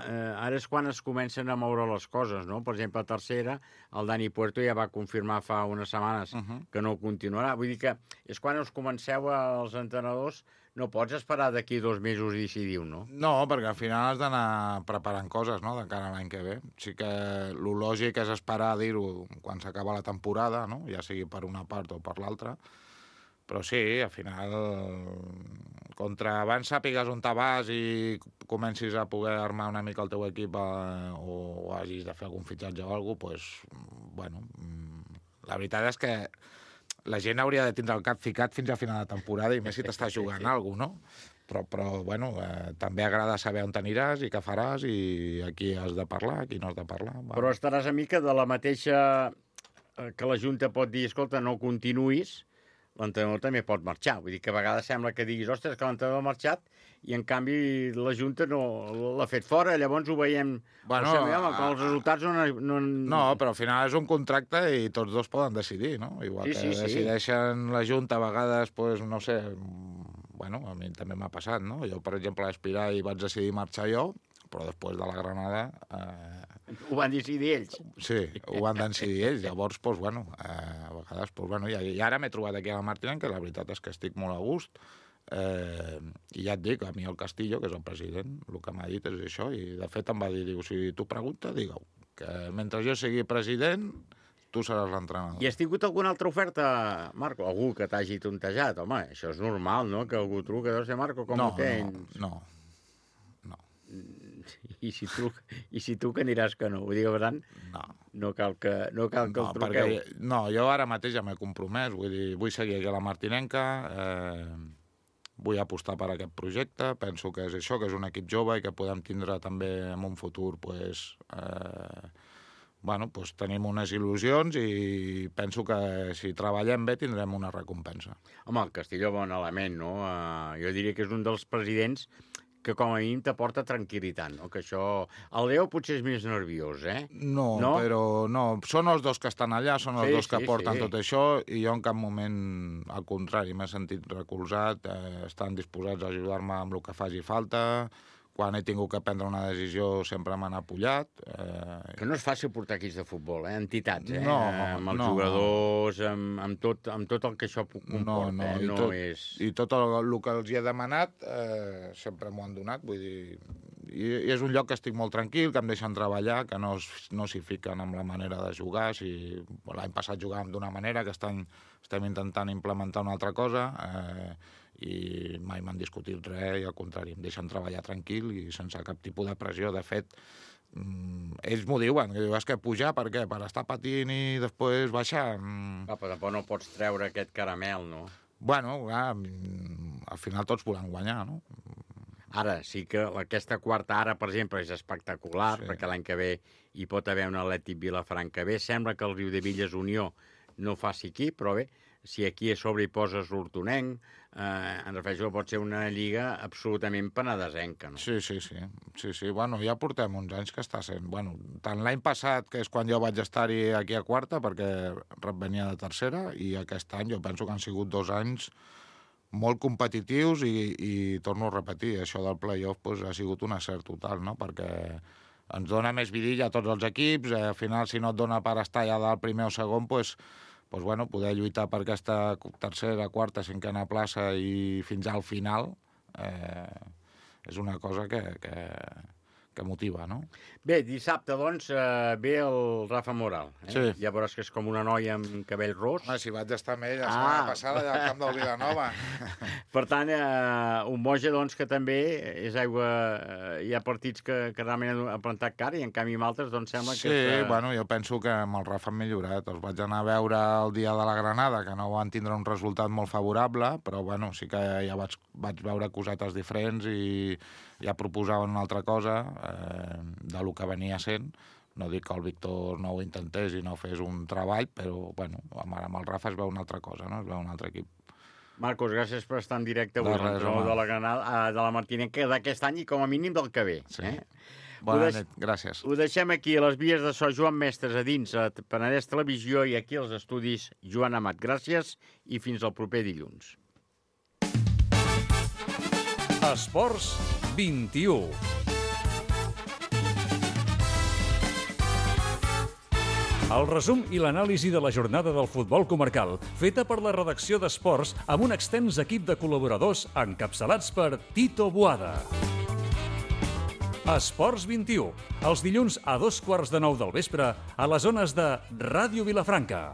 ara és quan es comencen a moure les coses, no? Per exemple, a tercera, el Dani Puerto ja va confirmar fa unes setmanes que no continuarà. Vull dir que és quan us comenceu els entrenadors, no pots esperar d'aquí 2 mesos i decidir-ho, no? No, perquè al final has d'anar preparant coses, no?, de cara a l'any que ve. Sí que el lògic és esperar a dir-ho quan s'acaba la temporada, no?, ja sigui per una part o per l'altra. Però sí, al final, contra abans sàpigues on te vas i comencis a poder armar una mica el teu equip o hagis de fer algun fitxatge o alguna cosa, doncs, bueno, la veritat és que la gent hauria de tindre el cap ficat fins a final de temporada, i més si t'estàs jugant alguna cosa, no? Però bueno, també agrada saber on t'aniràs i què faràs i a qui has de parlar, a qui no has de parlar. Bueno. Però estaràs a mica de la mateixa que la Junta pot dir, escolta, no continuïs, l'entrenador també pot marxar. Vull dir que a vegades sembla que diguis, ostres, que l'entrenador ha marxat i en canvi la Junta no l'ha fet fora, llavors ho veiem... Bueno, que els resultats no... No, però al final és un contracte i tots dos poden decidir, no? Igual que decideixen la Junta a vegades, doncs, no sé, bueno, a mi també m'ha passat, no? Jo, per exemple, a Espirar i vaig decidir marxar jo, però després de la Granada... Ho van decidir ells. Sí, ho van decidir ells. Llavors, doncs, bueno, a vegades, doncs, bueno, i ara m'he trobat aquí a la Martinenca, que la veritat és que estic molt a gust, i ja et dic, a mi el Castillo, que és el president, el que m'ha dit és això, i de fet em va dir, diu, si tu pregunta, digue-ho. que mentre jo sigui president, tu seràs l'entrenador. I has tingut alguna altra oferta, Marco? Algú que t'hagi tontejat? Home, això és normal, no?, que algú truca, deu ser Marco, com ho tens? No. I si tu que aniràs que no? Vull dir que, per tant, no cal que el truqueu. No, jo ara mateix ja m'he compromès, vull seguir aquí a la Martinenca, vull apostar per aquest projecte, penso que és això, que és un equip jove i que podem tindre també en un futur, tenim unes il·lusions i penso que si treballem bé tindrem una recompensa. Home, el Castillo, bon element, no? Jo diria que és un dels presidents que com a mínim t'aporta tranquil·litat, no? Que això... El Leo potser és més nerviós, eh? No, però no. Són els dos que estan allà, són els dos que porten tot això, i jo en cap moment, al contrari, m'he sentit recolzat, estan disposats a ajudar-me amb el que faci falta. Quan he tingut que prendre una decisió sempre m'han apoyat. Que no és fàcil portar equips de futbol, entitats, No, amb els jugadors, amb tot el que això comporta. I tot el que els hi he demanat sempre m'ho han donat, vull dir... I és un lloc que estic molt tranquil, que em deixen treballar, que no s'hi fiquen amb la manera de jugar. L'any passat jugàvem d'una manera, que estem intentant implementar una altra cosa, i mai m'han discutit res, i al contrari, em deixen treballar tranquil i sense cap tipus de pressió. De fet, ells m'ho diuen, que és que pujar per què? Per estar patint i després baixar? Però tampoc no pots treure aquest caramel, no? Bueno, al final tots volem guanyar, no? Ara, sí que aquesta quarta ara, per exemple, és espectacular, perquè l'any que ve hi pot haver un Atlètic Vilafranca B. Sembla que el Riudebitlles Unió no faci aquí, però bé, si aquí a sobre hi poses l'Hortonenc, en referència pot ser una lliga absolutament penedesenca, no? Sí. Bueno, ja portem uns anys que està sent. Bueno, tant l'any passat, que és quan jo vaig estar-hi aquí a quarta, perquè venia de tercera, i aquest any jo penso que han sigut 2 anys molt competitius i torno a repetir, això del play-off ha sigut un acert total, no? Perquè ens dona més vidilla a tots els equips, al final si no et dona per estar ja del primer o segon, poder lluitar per aquesta tercera, quarta, cinquena plaça i fins al final és una cosa que motiva, no? Bé, dissabte, doncs, ve el Rafa Moral. Sí. Ja veuràs que és com una noia amb cabell ros. Si vaig estar amb ell la setmana passada allà al camp del Vilanova. Per tant, un Moja, doncs, que també és aigua... Hi ha partits que realment han plantat cara i en canvi amb altres, doncs, sembla que... Sí, bueno, jo penso que amb el Rafa han millorat. Els vaig anar a veure el dia de la Granada, que no van tindre un resultat molt favorable, però, bueno, sí que ja vaig veure cosetes diferents i ja proposaven una altra cosa del que venia sent. No dic que el Víctor no ho intentés i no fes un treball, però, bueno, amb el Rafa es veu una altra cosa, no? Es veu un altre equip. Marcos, gràcies per estar en directe avui, de la Granada, de la Martinenca d'aquest any i com a mínim del que ve. Sí. Bona nit, gràcies. Ho deixem aquí a les vies de so Joan Mestres, a dins a Penedès Televisió i aquí als estudis Joan Amat. Gràcies i fins al proper dilluns. Esports 21. El resum i l'anàlisi de la jornada del futbol comarcal, feta per la redacció d'Esports amb un extens equip de col·laboradors encapçalats per Tito Boada. Esports 21, els dilluns a 2:15 del vespre a les zones de Ràdio Vilafranca.